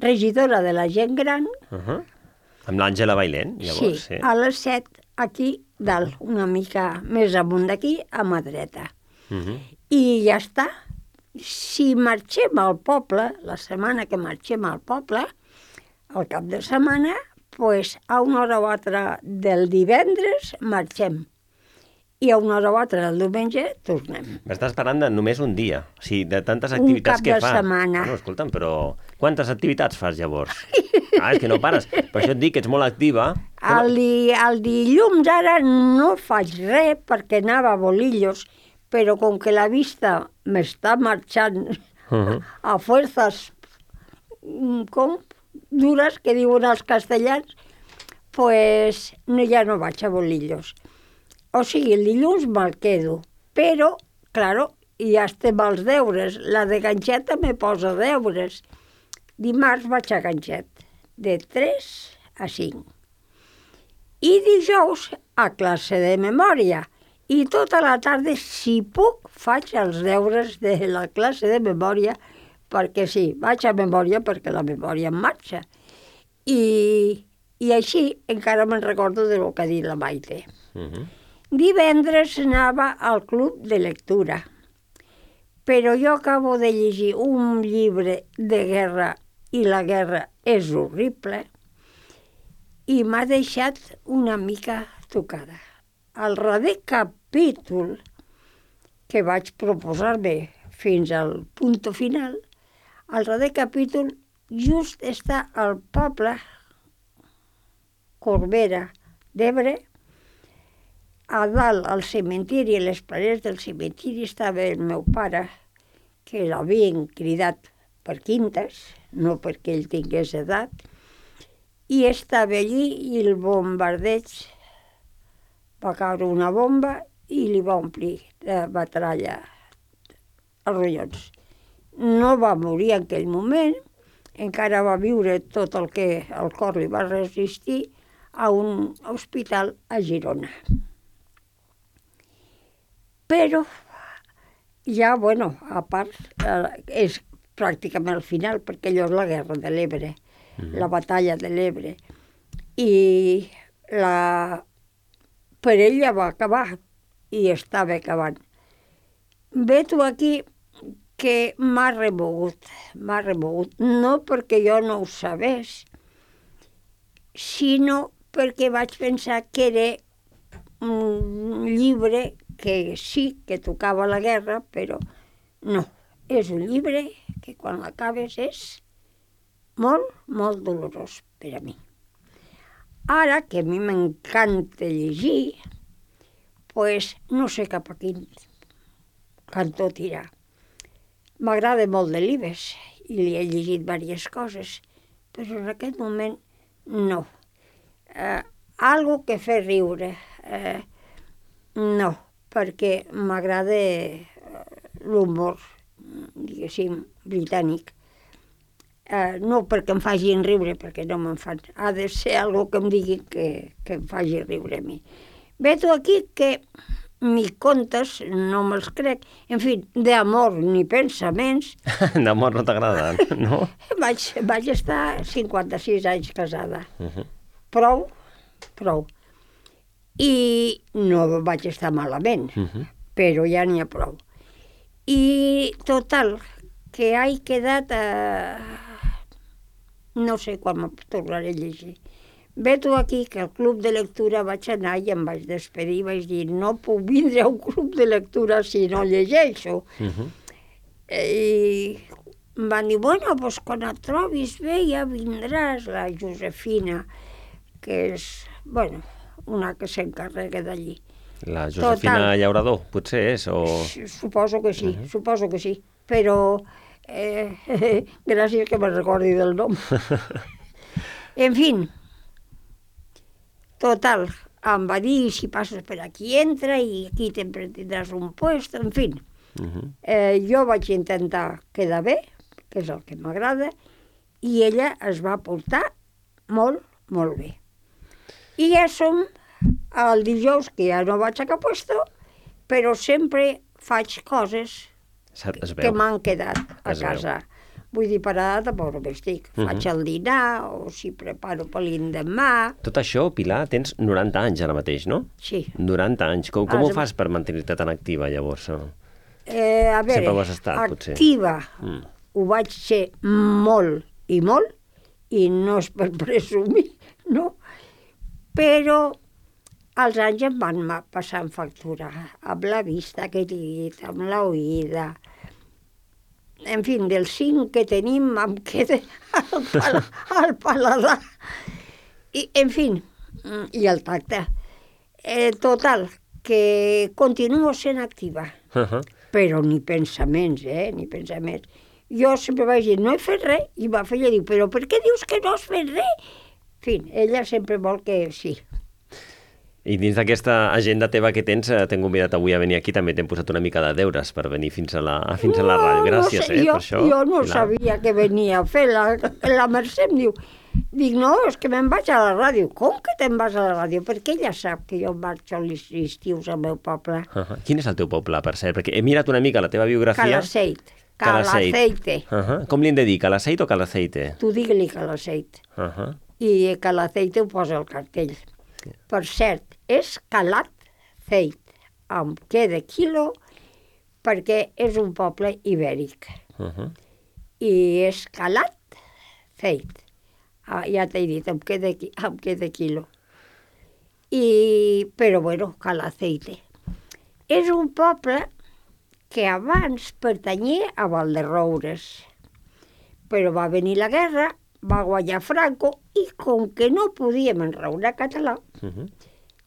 regidora de la gent gran. Amb l'Àngela Bailén, llavors. Sí, a les 7, aquí dalt, una mica més amunt d'aquí, a mà dreta. I ja està. Si marxem al poble, la setmana que marxem al poble, al cap de setmana, doncs a una hora o altra del divendres marxem. I a una hora o altra del diumenge tornem. M'estàs parlant de només un dia, o sigui, de tantes activitats que fas. Un cap de setmana. Bueno, escolta'm, però quantes activitats fas llavors? És que no pares. Per això et dic que ets molt activa. El dilluns ara no faig res perquè anava a bolillos, però com que la vista m'està marxant a fuerzas dures, que diuen els castellans, doncs ja no vaig a bolillos. O sigui, el dilluns me'l quedo, Però, claro, ja estem als deures. La de ganxeta me posa deures. Dimarts vaig a ganxet, de 3 a 5. I dijous a classe de memòria. I tota la tarda, si puc, faig els deures de la classe de memòria, perquè sí, vaig a memòria perquè la memòria en marxa. I així encara me'n recordo de lo que ha dit la Maite. Divendres anava al club de lectura, però jo acabo de llegir un llibre de guerra i la guerra és horrible i m'ha deixat una mica tocada. Al darrer capítol que vaig proposar-me fins al punt final, al darrer capítol just està al poble Corbera d'Ebre. A dalt, al cementiri, a les parets del cementiri, estava el meu pare, que l'havien cridat per quintes, no perquè ell tingués edat, i estava allí i el bombardeig va caure una bomba i li va omplir de batralla els ronyons. No va morir en aquell moment, encara va viure tot el que el cor li va resistir a un hospital a Girona. Però ja, bueno, a part, és pràcticament al final, perquè allò és la guerra de l'Ebre, la batalla de l'Ebre. I per ell ja va acabar, i estava acabant. Veig aquí que m'ha remogut, no perquè jo no ho sabés, sinó perquè vaig pensar que era un llibre que sí que tocava la guerra, però no. És un llibre que quan l'acabes és molt, molt dolorós per a mi. Ara, que a mi m'encanta llegir, doncs no sé cap a quin cantó tirar. M'agrada molt Delibes i li he llegit diverses coses, però en aquest moment no. Algo que fer riure, no, perquè m'agrada l'humor, diguéssim, britànic. No perquè em facin riure, perquè no me'n fan. Ha de ser algo que em digui que em faci riure a mi. Veig aquí que ni contes no me'ls crec. En fi, d'amor ni pensaments. D'amor no t'agrada, no? Vaig estar 56 anys casada. Prou. I no vaig estar malament, però ja n'hi ha prou. I total, que he quedat no sé quan me tornaré a llegir. Veig aquí que al club de lectura vaig anar i em vaig despedir i vaig dir no puc vindre a un club de lectura si no llegeixo. I em van dir, bueno, doncs quan et trobis bé ja vindràs, la Josefina, que és, bueno, una que s'encarrega d'allí. La Josefina Llaurador, potser és, o...? Suposo que sí, però gràcies que me'n recordi del nom. En fi, total, em va dir, si passes per aquí entra i aquí tindràs un puesto, en fi. Jo vaig intentar quedar bé, que és el que m'agrada, i ella es va portar molt, molt bé. I ja som el dijous, que ja no vaig a cap puesto, però sempre faig coses que m'han quedat a casa. Vull dir, parada tampoc no m'estic. Faig el dinar, o si preparo per l'endemà. Tot això, Pilar, tens 90 anys ara mateix, no? Sí. 90 anys. Com ho fas per mantenir-te tan activa, llavors? A veure, sempre ho has estat, potser. Activa ho vaig ser molt, i no és per presumir, no? Però els anys em van passar en factura, amb la vista que he dit, amb l'oïda. En fi, dels 5 que tenim em queda el paladar. I, en fi, i el tacte. Total, que continuo sent activa, però ni pensaments, ni pensaments. Jo sempre vaig dir, no he fet res, i va fer, ella diu, però per què dius que no has fet res? En fi, ella sempre vol que sí. I dins d'aquesta agenda teva que tens, t'hem convidat avui a venir aquí, també t'hem posat una mica de deures per venir fins a la ràdio. Gràcies, per això. Jo no sabia que venia a fer. La Mercè em diu, no, és que me'n vaig a la ràdio. Com que te'n vas a la ràdio? Perquè ella sap que jo marxo als estius al meu poble. Quin és el teu poble, per cert? Perquè he mirat una mica la teva biografia. Calaceite. Com li hem de dir, Calaceite o Calaceite? Tu digue-li Calaceite. I Calaceite ho posa al cartell. Per cert, és Calaceit, amb què de quilo, perquè és un poble ibèric. I és Calaceit. Ja t'he dit, amb què de quilo. Però bueno, Calaceite. És un poble que abans pertanyia a Valderroures. Però va venir la guerra, va guanyar Franco, i com que no podíem enraonar català,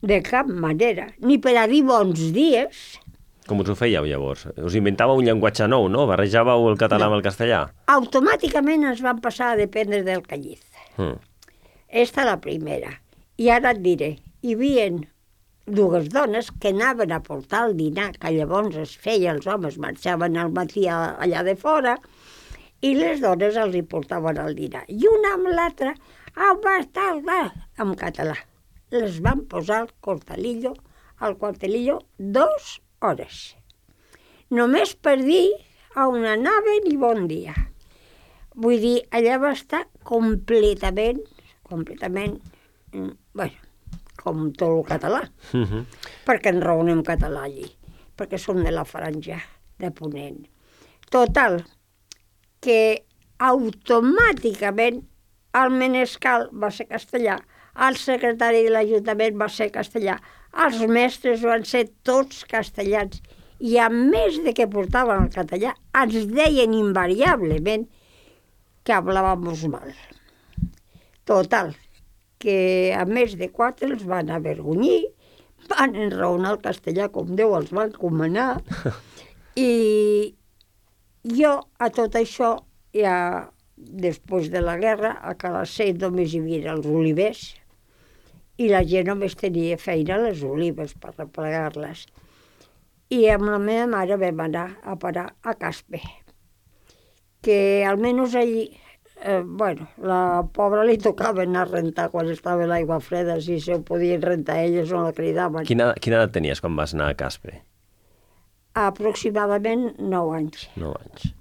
de cap manera, ni per a dir bons dies... Com us ho fèieu llavors? Us inventàveu un llenguatge nou, no? Barrejàveu el català amb el castellà? Automàticament ens van passar a dependre del Calliz. Esta la primera. I ara et diré, hi havia dues dones que anaven a portar el dinar, que llavors es feia, els homes marxaven al matí allà de fora, i les dones els hi portaven el dinar. I una amb l'altra, en català. Les van posar al quartelillo 2 hores. Només per dir on anaven i bon dia. Vull dir, allà va estar completament, bueno, com tot el català. Perquè enraonem català allí. Perquè som de la franja de Ponent. Total, que automàticament el menescal va ser castellà, el secretari de l'Ajuntament va ser castellà, els mestres van ser tots castellans, i a més de que portaven el català, ens deien invariablement que hablábamos mal. Total, que a més de 4 els van avergonyir, van enraonar el castellà com Déu els va encomanar, i jo a tot això, ja després de la guerra, a Calaceit només hi havia els olivers, i la gent només tenia feina a les olives per replegar-les. I amb la meva mare vam anar a parar a Caspe, que almenys allí, la pobra li tocava anar a rentar quan estava l'aigua freda, si se ho podien rentar elles o la cridaven. Quina edat tenies quan vas anar a Caspe? Aproximadament 9 anys. 9 anys.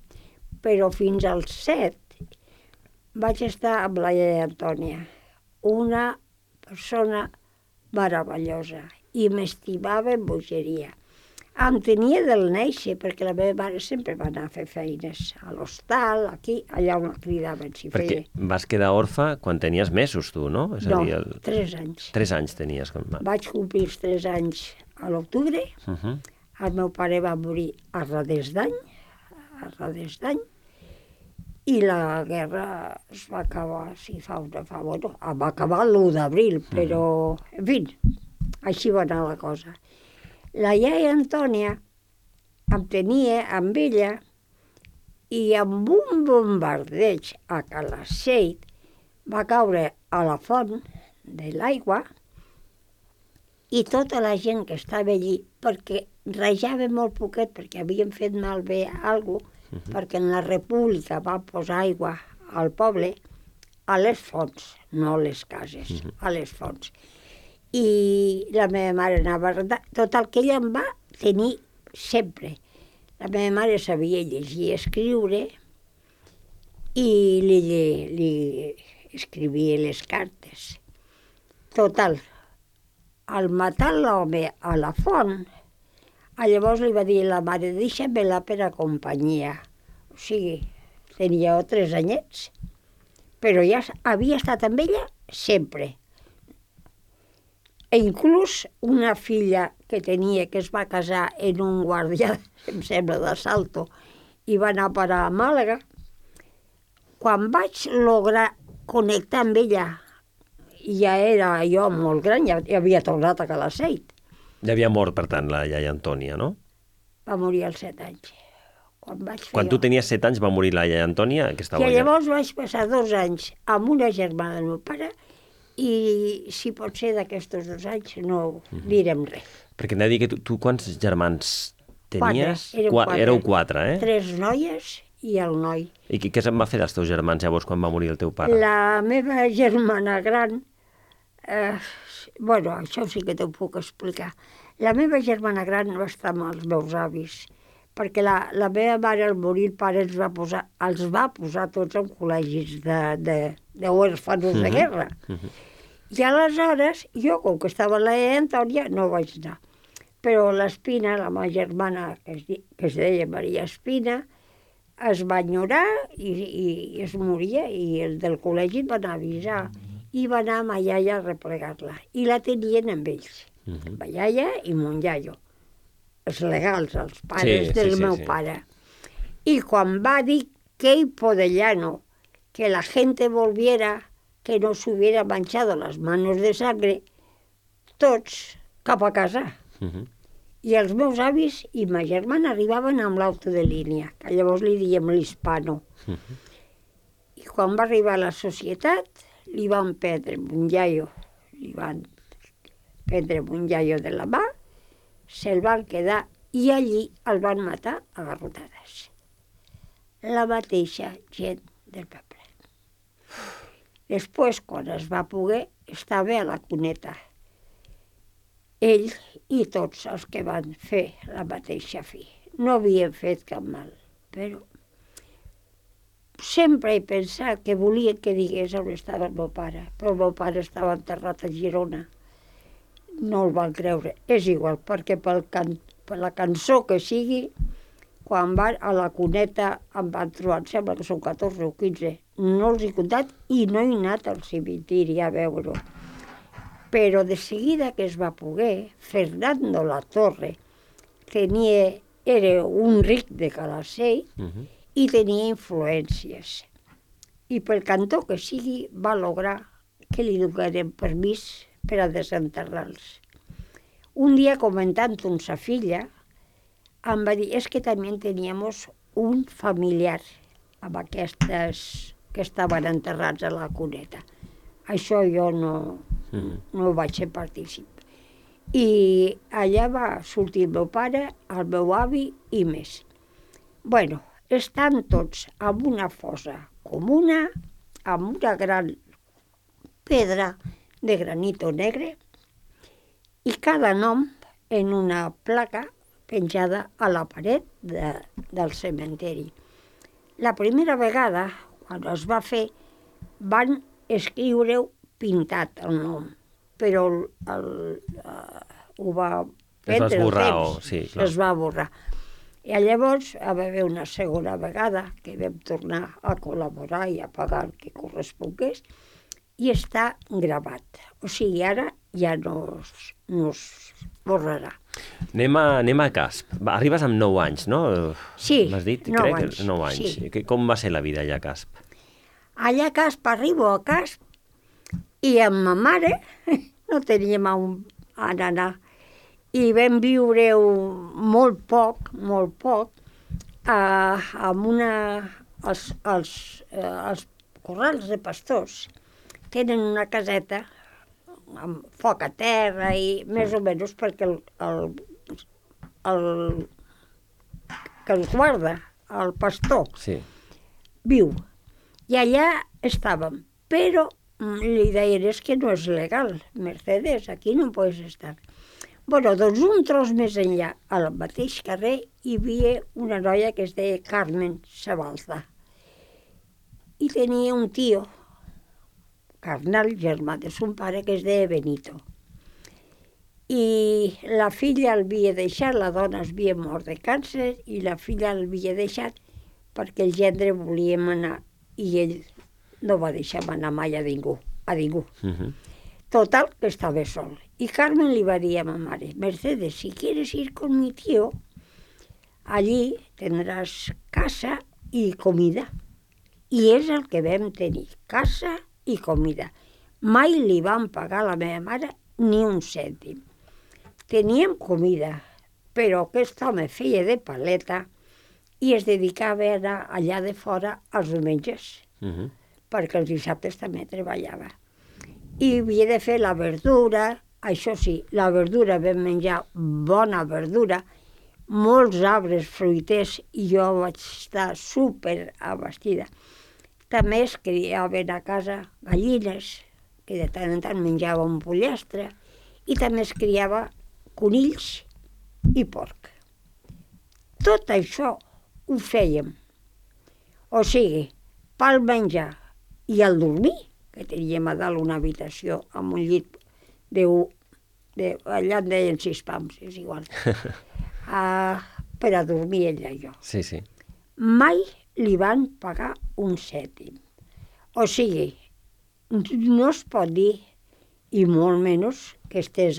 Però fins als 7 vaig estar amb la iaia Antònia, una persona meravellosa, i m'estimava en bogeria. Em tenia del néixer, perquè la meva mare sempre va anar a fer feines a l'hostal, aquí, allà on la cridaven. Perquè vas quedar orfa quan tenies mesos, tu, no? No, 3 anys. 3 anys tenies. Vaig complir els 3 anys a l'octubre, el meu pare va morir a res d'any, i la guerra es va acabar, va acabar l'1 d'abril, però, en fi, així va anar la cosa. La iaia Antònia em tenia amb ella, i amb un bombardeig a Calaceit va caure a la font de l'aigua, i tota la gent que estava allí, perquè rajava molt poquet, perquè havien fet malbé alguna cosa, perquè en la República va posar aigua al poble a les fonts, no a les cases, a les fonts. I la meva mare anava a rentar. Total, que ella em va tenir sempre. La meva mare sabia llegir i escriure, i li escrivia les cartes. Total, al matar l'home a la font, llavors li va dir a la mare, deixa-me-la per a companyia. O sigui, tenia 3 anyets, però ja havia estat amb ella sempre. E inclús una filla que tenia, que es va casar en un guàrdia, em sembla, d'Assalto, i va anar a parar a Màlaga, quan vaig lograr connectar amb ella, ja era jo molt gran, ja havia tornat a Calaceit. Ja havia mort, per tant, la iaia Antònia, no? Va morir als 7 anys. Quan tu tenies 7 anys va morir la iaia Antònia? I llavors vaig passar 2 anys amb una germana del meu pare I si pot ser d'aquests 2 anys no direm res. Perquè hem de dir que tu quants germans tenies? 4. Éreu 4, eh? 3 noies i el noi. I què se'n va fer dels teus germans llavors quan va morir el teu pare? La meva germana gran... Bueno, això sí que t'ho puc explicar. La meva germana gran va estar amb els meus avis, perquè la meva mare al morir el pare els va posar tots en col·legis d'huérfanos de guerra. I aleshores, jo, com que estava a la Antònia, no vaig anar. Però l'Espina, la meva germana, que es deia Maria Espina, es va enyorar i es moria, i el del col·legi va anar a avisar, i va anar a ma iaia a replegar-la. I la tenien amb ells, ma iaia i mon iaio, els legals, els pares del meu pare. I quan va dir que Podellano, que la gente volviera, que no s'hubiera manchado las manos de sangre, tots cap a casa. I els meus avis i ma germana arribaven amb l'auto de línia, que llavors li diem l'hispano. I quan va arribar a la societat, li van prendre un iaio de la mà, se'l van quedar i allí el van matar a garrotades. La mateixa gent del poble. Després, quan es va poder, estava a la cuneta. Ell i tots els que van fer la mateixa fi. No havien fet cap mal, però sempre he pensat que volien que digués on estava el meu pare, però el meu pare estava enterrat a Girona. No el van creure. És igual, perquè per la cançó que sigui, quan van a la cuneta em van trobar, em sembla que són 14 o 15, no els he comptat i no he anat al cementiri a veure-ho. Però de seguida que es va poder, Fernando Latorre era un ric de Calacell i tenia influències. I pel cantó que sigui va lograr que li donaren permís per a desenterrar-los. Un dia, comentant amb sa filla, em va dir, que també teníem un familiar amb aquestes que estaven enterrats a la cuneta. Això jo no vaig ser partícip. I allà va sortir el meu pare, el meu avi i més. Bueno, estan tots en una fossa comuna, amb una gran pedra de granito negre i cada nom en una placa penjada a la paret del cementeri. La primera vegada, quan es va fer, van escriure-ho pintat el nom, però ho va prendre el temps, es va borrar. I llavors va haver una segona vegada que vam tornar a col·laborar i a pagar el que correspongués i està gravat. O sigui, ara ja no es borrarà. Anem a Casp. Arribes amb 9 anys, no? Sí, m'has dit? 9 anys. 9 anys. Sí. Com va ser la vida allà a Casp? Allà a Casp, arribo a Casp i amb ma mare no teníem on anar. I vam viure molt poc, amb els corrals de pastors. Tenen una caseta amb foc a terra i més o menys perquè el que els guarda, el pastor, viu. I allà estàvem, però li deien, que no és legal, Mercedes, aquí no pots estar. Bueno, doncs un tros més enllà, al mateix carrer, hi havia una noia que es deia Carmen Sabalza. I tenia un tio, carnal, germà de son pare, que es deia Benito. I la filla l'havia deixat, la dona es havia mort de càncer, i la filla l'havia deixat perquè el gendre volíem anar, i ell no va deixar anar mai a ningú. Total, que estava sol. Y Carmen le va a decir a mi madre, Mercedes, si quieres ir con mi tío, allí tendrás casa y comida. I és el que vam tenir, casa i comida. Mai li van pagar a la meva mare ni un cèntim. Teníem comida, però aquest home feia de paleta i es dedicava a anar allà de fora els diumenges, perquè els dissabtes també treballava. i havia de fer la verdura, això sí, la verdura vam menjar bona verdura, molts arbres fruiters i jo vaig estar super abastida. També es criaven a casa gallines, que de tant en tant menjava un pollastre, i també es criava conills i porc. Tot això ho fèiem. O sigui, pel menjar i el dormir, que teníem a dalt una habitació amb un llit allà en deien 6 pams, és igual, per a dormir ella i jo. Sí, sí. Mai li van pagar un cèntim. O sigui, no es pot dir, i molt menys que estés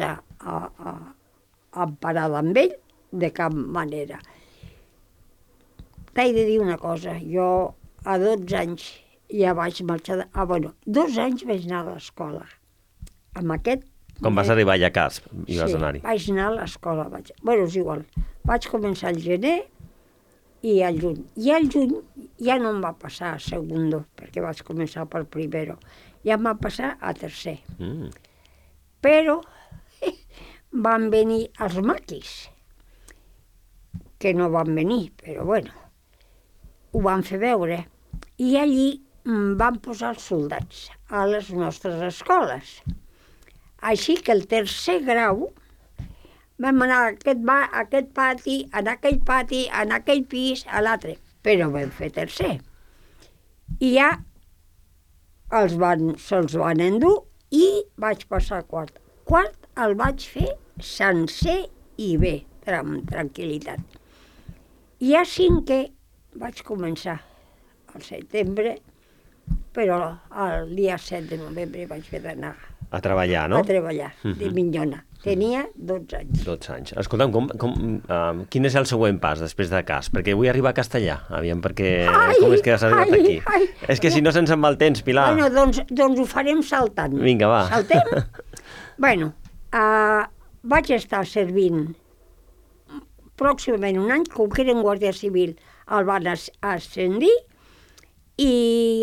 emparada amb ell, de cap manera. T'he de dir una cosa, jo a 12 anys ja vaig marxar... 2 anys vaig anar a l'escola. Amb aquest... Quan vas arribar allà a Casp i vas anar-hi? Sí, vaig anar a l'escola. És igual. Vaig començar al gener i al juny. I al juny ja no em va passar a segundo, perquè vaig començar per primero. Ja em va passar a tercer. Però van venir els maquis, que no van venir, però bueno, ho van fer veure. I allí van posar els soldats a les nostres escoles. Així que el tercer grau vam anar a aquest pati, en aquell pati, en aquell pis, a l'altre, però vam fer tercer. I ja se'ls van endur i vaig passar a quart. Quart el vaig fer sencer i bé, amb tranquil·litat. I a cinquè vaig començar al setembre, però el dia 7 de novembre vaig haver d'anar a treballar, no? A treballar, de minyona. Tenia 12 anys. 12 anys. Escolta'm, quin és el següent pas després de Casp? Perquè vull arribar a Castellà, aviam, perquè com és que has arribat aquí? És que si no se'ns en va el temps, Pilar. Bueno, doncs ho farem saltant. Vinga, va. Saltem? Bueno, vaig estar servint pròximament un any, com que era en Guàrdia Civil, el van ascendir i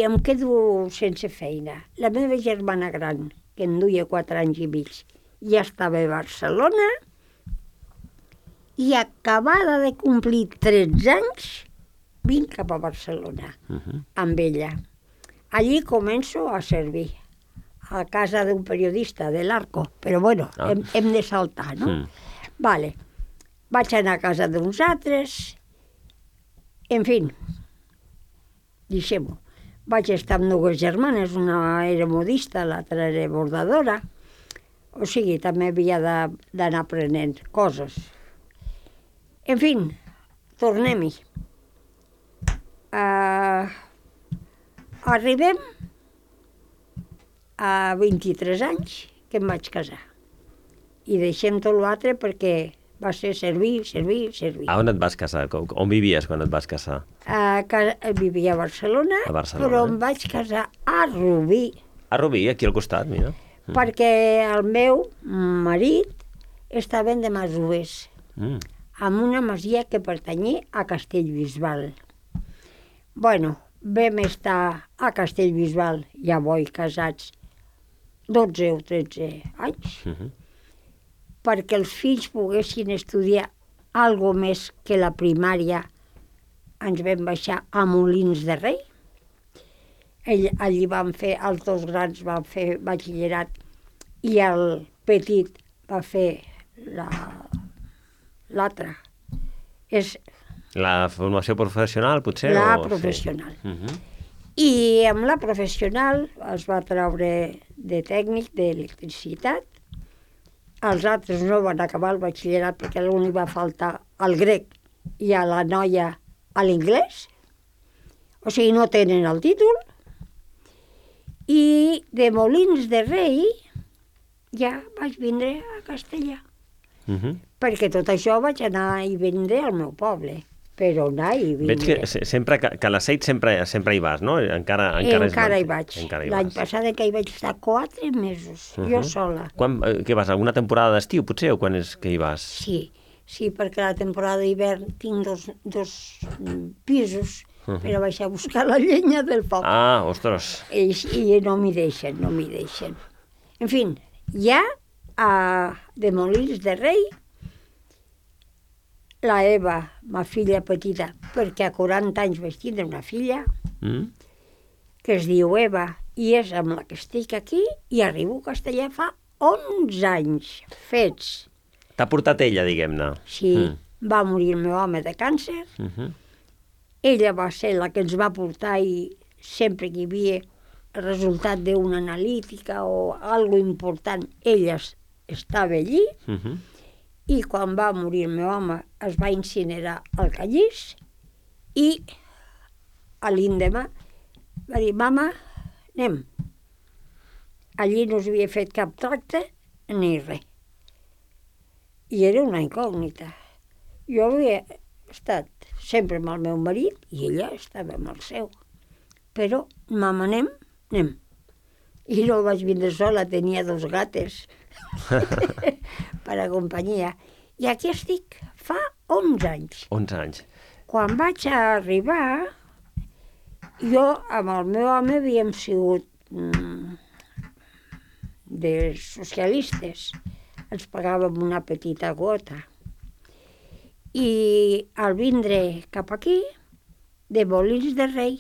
em quedo sense feina. La meva germana gran, que em duia 4 anys i mig, ja estava a Barcelona i acabada de complir 13 anys vinc cap a Barcelona amb ella. Allí començo a servir a casa d'un periodista de l'Arco, però bueno, hem de saltar, no? Vale. Vaig anar a casa d'uns altres, en fi, deixem-ho. Vaig estar amb 2 germanes, una era modista, l'altra era bordadora, o sigui, també havia d'anar aprenent coses. En fi, tornem-hi. Arribem a 23 anys que em vaig casar. I deixem tot l'altre perquè va ser servir. A on et vas casar? On vivies quan et vas casar? Vivia a Barcelona, però em vaig casar a Rubí. A Rubí, aquí al costat, mira. Perquè el meu marit estava de masovers, amb una masia que pertanyia a Castellbisbal. Bueno, vam estar a Castellbisbal, ja casats, 12 o 13 anys, perquè els fills poguessin estudiar algo més que la primària. Ens vam baixar a Molins de Rei. Allí van fer, els 2 grans van fer batxillerat i el petit va fer l'altre. És la formació professional, potser? La professional. I amb la professional es va treure de tècnic d'electricitat. Els altres no van acabar el batxillerat perquè l'únic va faltar el grec i a la noia a l'inglès. O sigui, no tenen el títol. I de Molins de Rei ja vaig vindre a Castellà. Perquè tot això vaig anar i vindre al meu poble. Però anar i vindre. Veig que sempre que a l'Aceit sempre hi vas, no? Encara hi vaig. L'any passat que hi vaig estar 4 mesos, jo sola. Què vas, alguna temporada d'estiu, potser, o quan és que hi vas? Sí, perquè la temporada d'hivern tinc dos pisos per a baixar a buscar la llenya del foc. Ah, ostres. I no m'hi deixen. En fi, ja de Molins de Rei, la Eva, ma filla petita, perquè a 40 anys vaig tindre una filla, que es diu Eva, i és amb la que estic aquí, i arribo a Castellà fa 11 anys fets. T'ha portat ella, diguem-ne. Sí, va morir el meu home de càncer. Ella va ser la que ens va portar i sempre que hi havia el resultat d'una analítica o alguna important, ella estava allí. I quan va morir el meu home es va incinerar al Callís i a l'endemà va dir, mama, anem. Allí no s'havia fet cap tracte ni res. I era una incògnita. Jo havia estat sempre amb el meu marit i ella estava amb el seu. Però, mama, anem? Anem. I no vaig vindre sola, tenia 2 gates per a companyia. I aquí estic, fa 11 anys. 11 anys. Quan vaig arribar, jo amb el meu home havíem sigut de socialistes. Ens pagàvem una petita quota. I al vindre cap aquí, de Molins de Rei,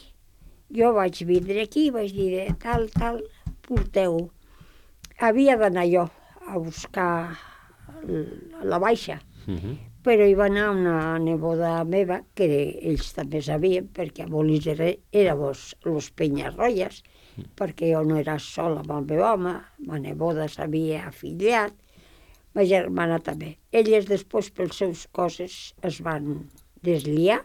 jo vaig vindre aquí i vaig dir, tal, porteu. Havia d'anar jo a buscar la baixa, però hi va anar una neboda meva, que ells també sabien, perquè a Molins de Rei éramos los Penyarroies, perquè jo no era sola amb el meu home, ma neboda s'havia afiliat, ma germana també. Elles després, pels seus coses, es van desliar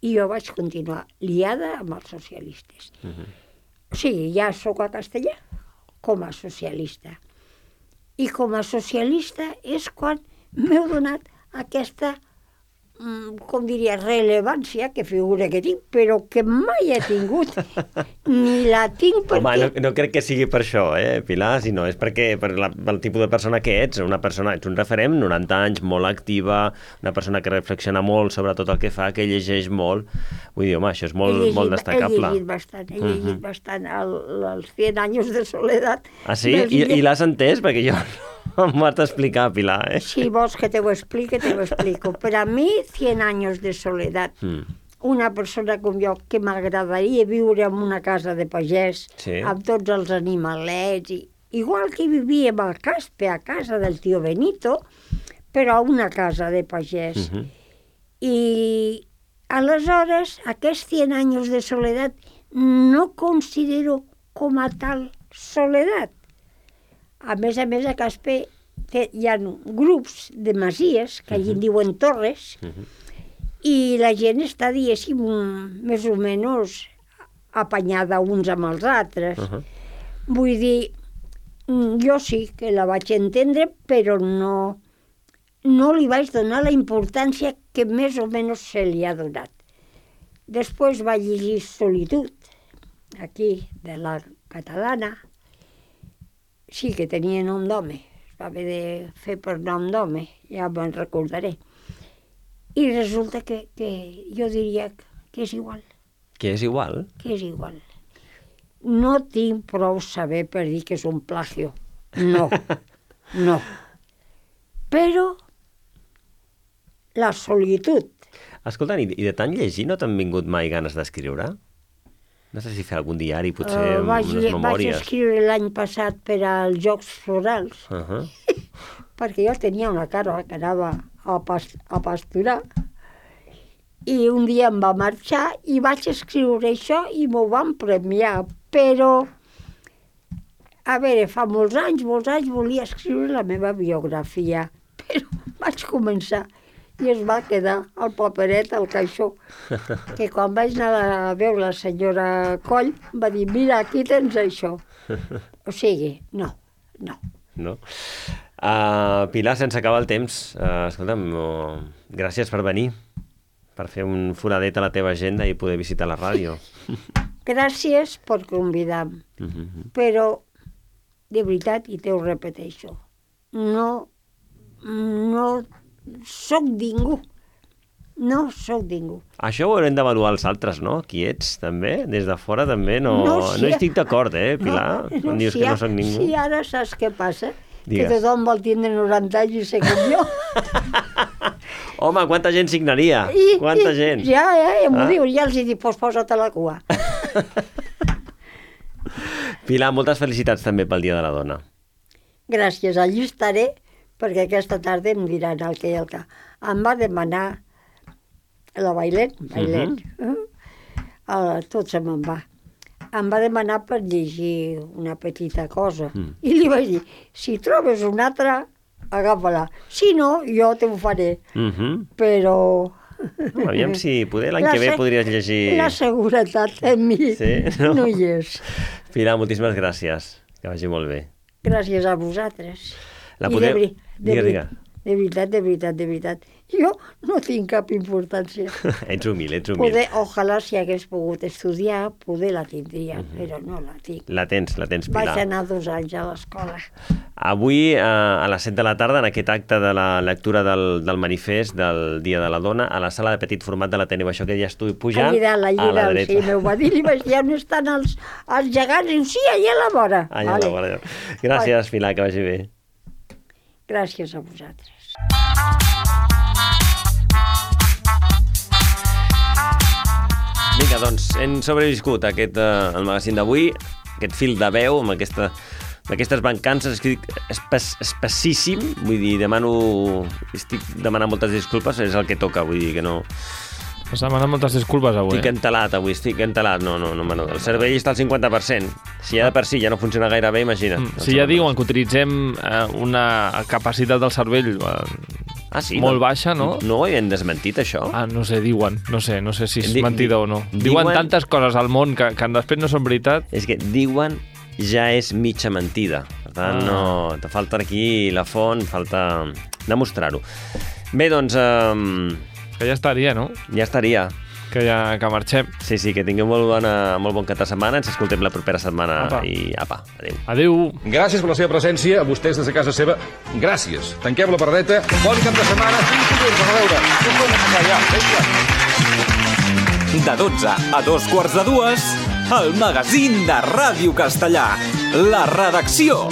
i jo vaig continuar liada amb els socialistes. O sigui, ja sóc a Castellà com a socialista. I com a socialista és quan m'heu donat aquesta, com diria, rellevància, que figura que tinc, però que mai he tingut, ni la tinc perquè... Home, no crec que sigui per això, Pilar, sinó és perquè per el tipus de persona que ets, ets un referent, 90 anys, molt activa, una persona que reflexiona molt sobre tot el que fa, que llegeix molt. Vull dir, home, això és molt destacable. He llegit bastant els 100 anys de soledat. Ah, sí? I l'has entès? Perquè jo... M'ho has d'explicar, Pilar, Si vols que te ho explique, te ho explico. Per a mi, 100 anys de soledat. Una persona com jo, que m'agradaria viure en una casa de pagès, amb tots els animalets, igual que vivíem al Caspe, a casa del tio Benito, però a una casa de pagès. I aleshores, aquests 100 anys de soledat no considero com a tal soledat. A més, a Caspe hi ha grups de masies, que allí en diuen torres, i la gent està, diguéssim, més o menys apanyada uns amb els altres. Vull dir, jo sí que la vaig entendre, però no li vaig donar la importància que més o menys se li ha donat. Després vaig llegir Solitud, aquí, de la catalana. Sí que tenia nom d'home, es va haver de fer per nom d'home, ja me'n recordaré. I resulta que jo diria que és igual. Que és igual? Que és igual. No tinc prou saber per dir que és un plagio. No, no. Però la solitud. Escolta, i de tant llegir no t'han vingut mai ganes d'escriure? No sé si fer algun diari, potser unes memòries. Vaig escriure l'any passat per als Jocs Florals, perquè jo tenia una cara que anava a pasturar, i un dia em va marxar i vaig escriure això i m'ho van premiar, però, a veure, fa molts anys volia escriure la meva biografia, però vaig començar i es va quedar el paperet al caixó, que quan vaig anar a veure la senyora Coll va dir, mira, aquí tens això. O sigui, no. Pilar, sense acabar el temps, escolta'm, gràcies per venir, per fer un foradet a la teva agenda i poder visitar la ràdio. Gràcies per convidar-me, però, de veritat, i te ho repeteixo, no soc ningú No sóc ningú. Això ho haurem d'avaluar els altres, no? Qui ets, també? Des de fora també no hi estic d'acord, Pilar? Quan dius que no sóc ningú. Sí, ara saps què passa? Digues. Que tothom vol tindre 90 anys i ser com jo. Home, quanta gent signaria? Quanta gent? Ja m'ho dius, ja els he dit, posa't a la cua. Pilar, moltes felicitats també pel Dia de la Dona. Gràcies, allí estaré, perquè aquesta tarda em diran el que i el que. Em va demanar la Bailet, tot se me'n va. Em va demanar per llegir una petita cosa. I li vaig dir, si trobes una altra, agafa-la. Si no, jo te ho faré. Però... Aviam si poder l'any que ve podries llegir... La seguretat en mi no hi és. Pilar, moltíssimes gràcies. Que vagi molt bé. Gràcies a vosaltres. De veritat. Jo no tinc cap importància. Ets humil. Ojalà si hagués pogut estudiar, poder la tindria, però no la tinc. La tens, Pilar. Vaig anar 2 anys a l'escola. Avui, a les 7 de la tarda, en aquest acte de la lectura del manifest del Dia de la Dona, a la sala de petit format de l'Ateneu, això que ja estic pujant a la dreta. Sí, m'ho va dir, i vaig dir, on estan els gegants? Diu, sí, allà a la vora. Allà a la vora. Gràcies, Pilar, que vagi bé. Gràcies a vosaltres. Vinga, doncs, hem sobreviscut el magazín d'avui, aquest fil de veu amb aquestes mancances, espessíssim, vull dir, estic demanant moltes disculpes, és el que toca, vull dir que no... Has demanat moltes disculpes avui. Estic entelat, no, el cervell està al 50%, si ja de per si ja no funciona gaire bé, imagina't. Si ja diuen que utilitzem una capacitat del cervell molt baixa, no? No ho havien desmentit, això? No sé, diuen, no sé si és mentida o no. Diuen tantes coses al món que després no són veritat. És que diuen ja és mitja mentida. Per tant, no, te falta aquí la font, falta demostrar-ho. Bé, doncs... Que ja estaria, no? Ja estaria. Que marxem. Sí, que tingueu molt bon cap de setmana. Ens escoltem la propera setmana. I apa, adéu. Adéu. Gràcies per la seva presència, a vostès des de casa seva. Gràcies. Tanquem la paradeta. Bon cap de setmana. De 12 a 2:15, el magazín de Ràdio Castellà. La redacció.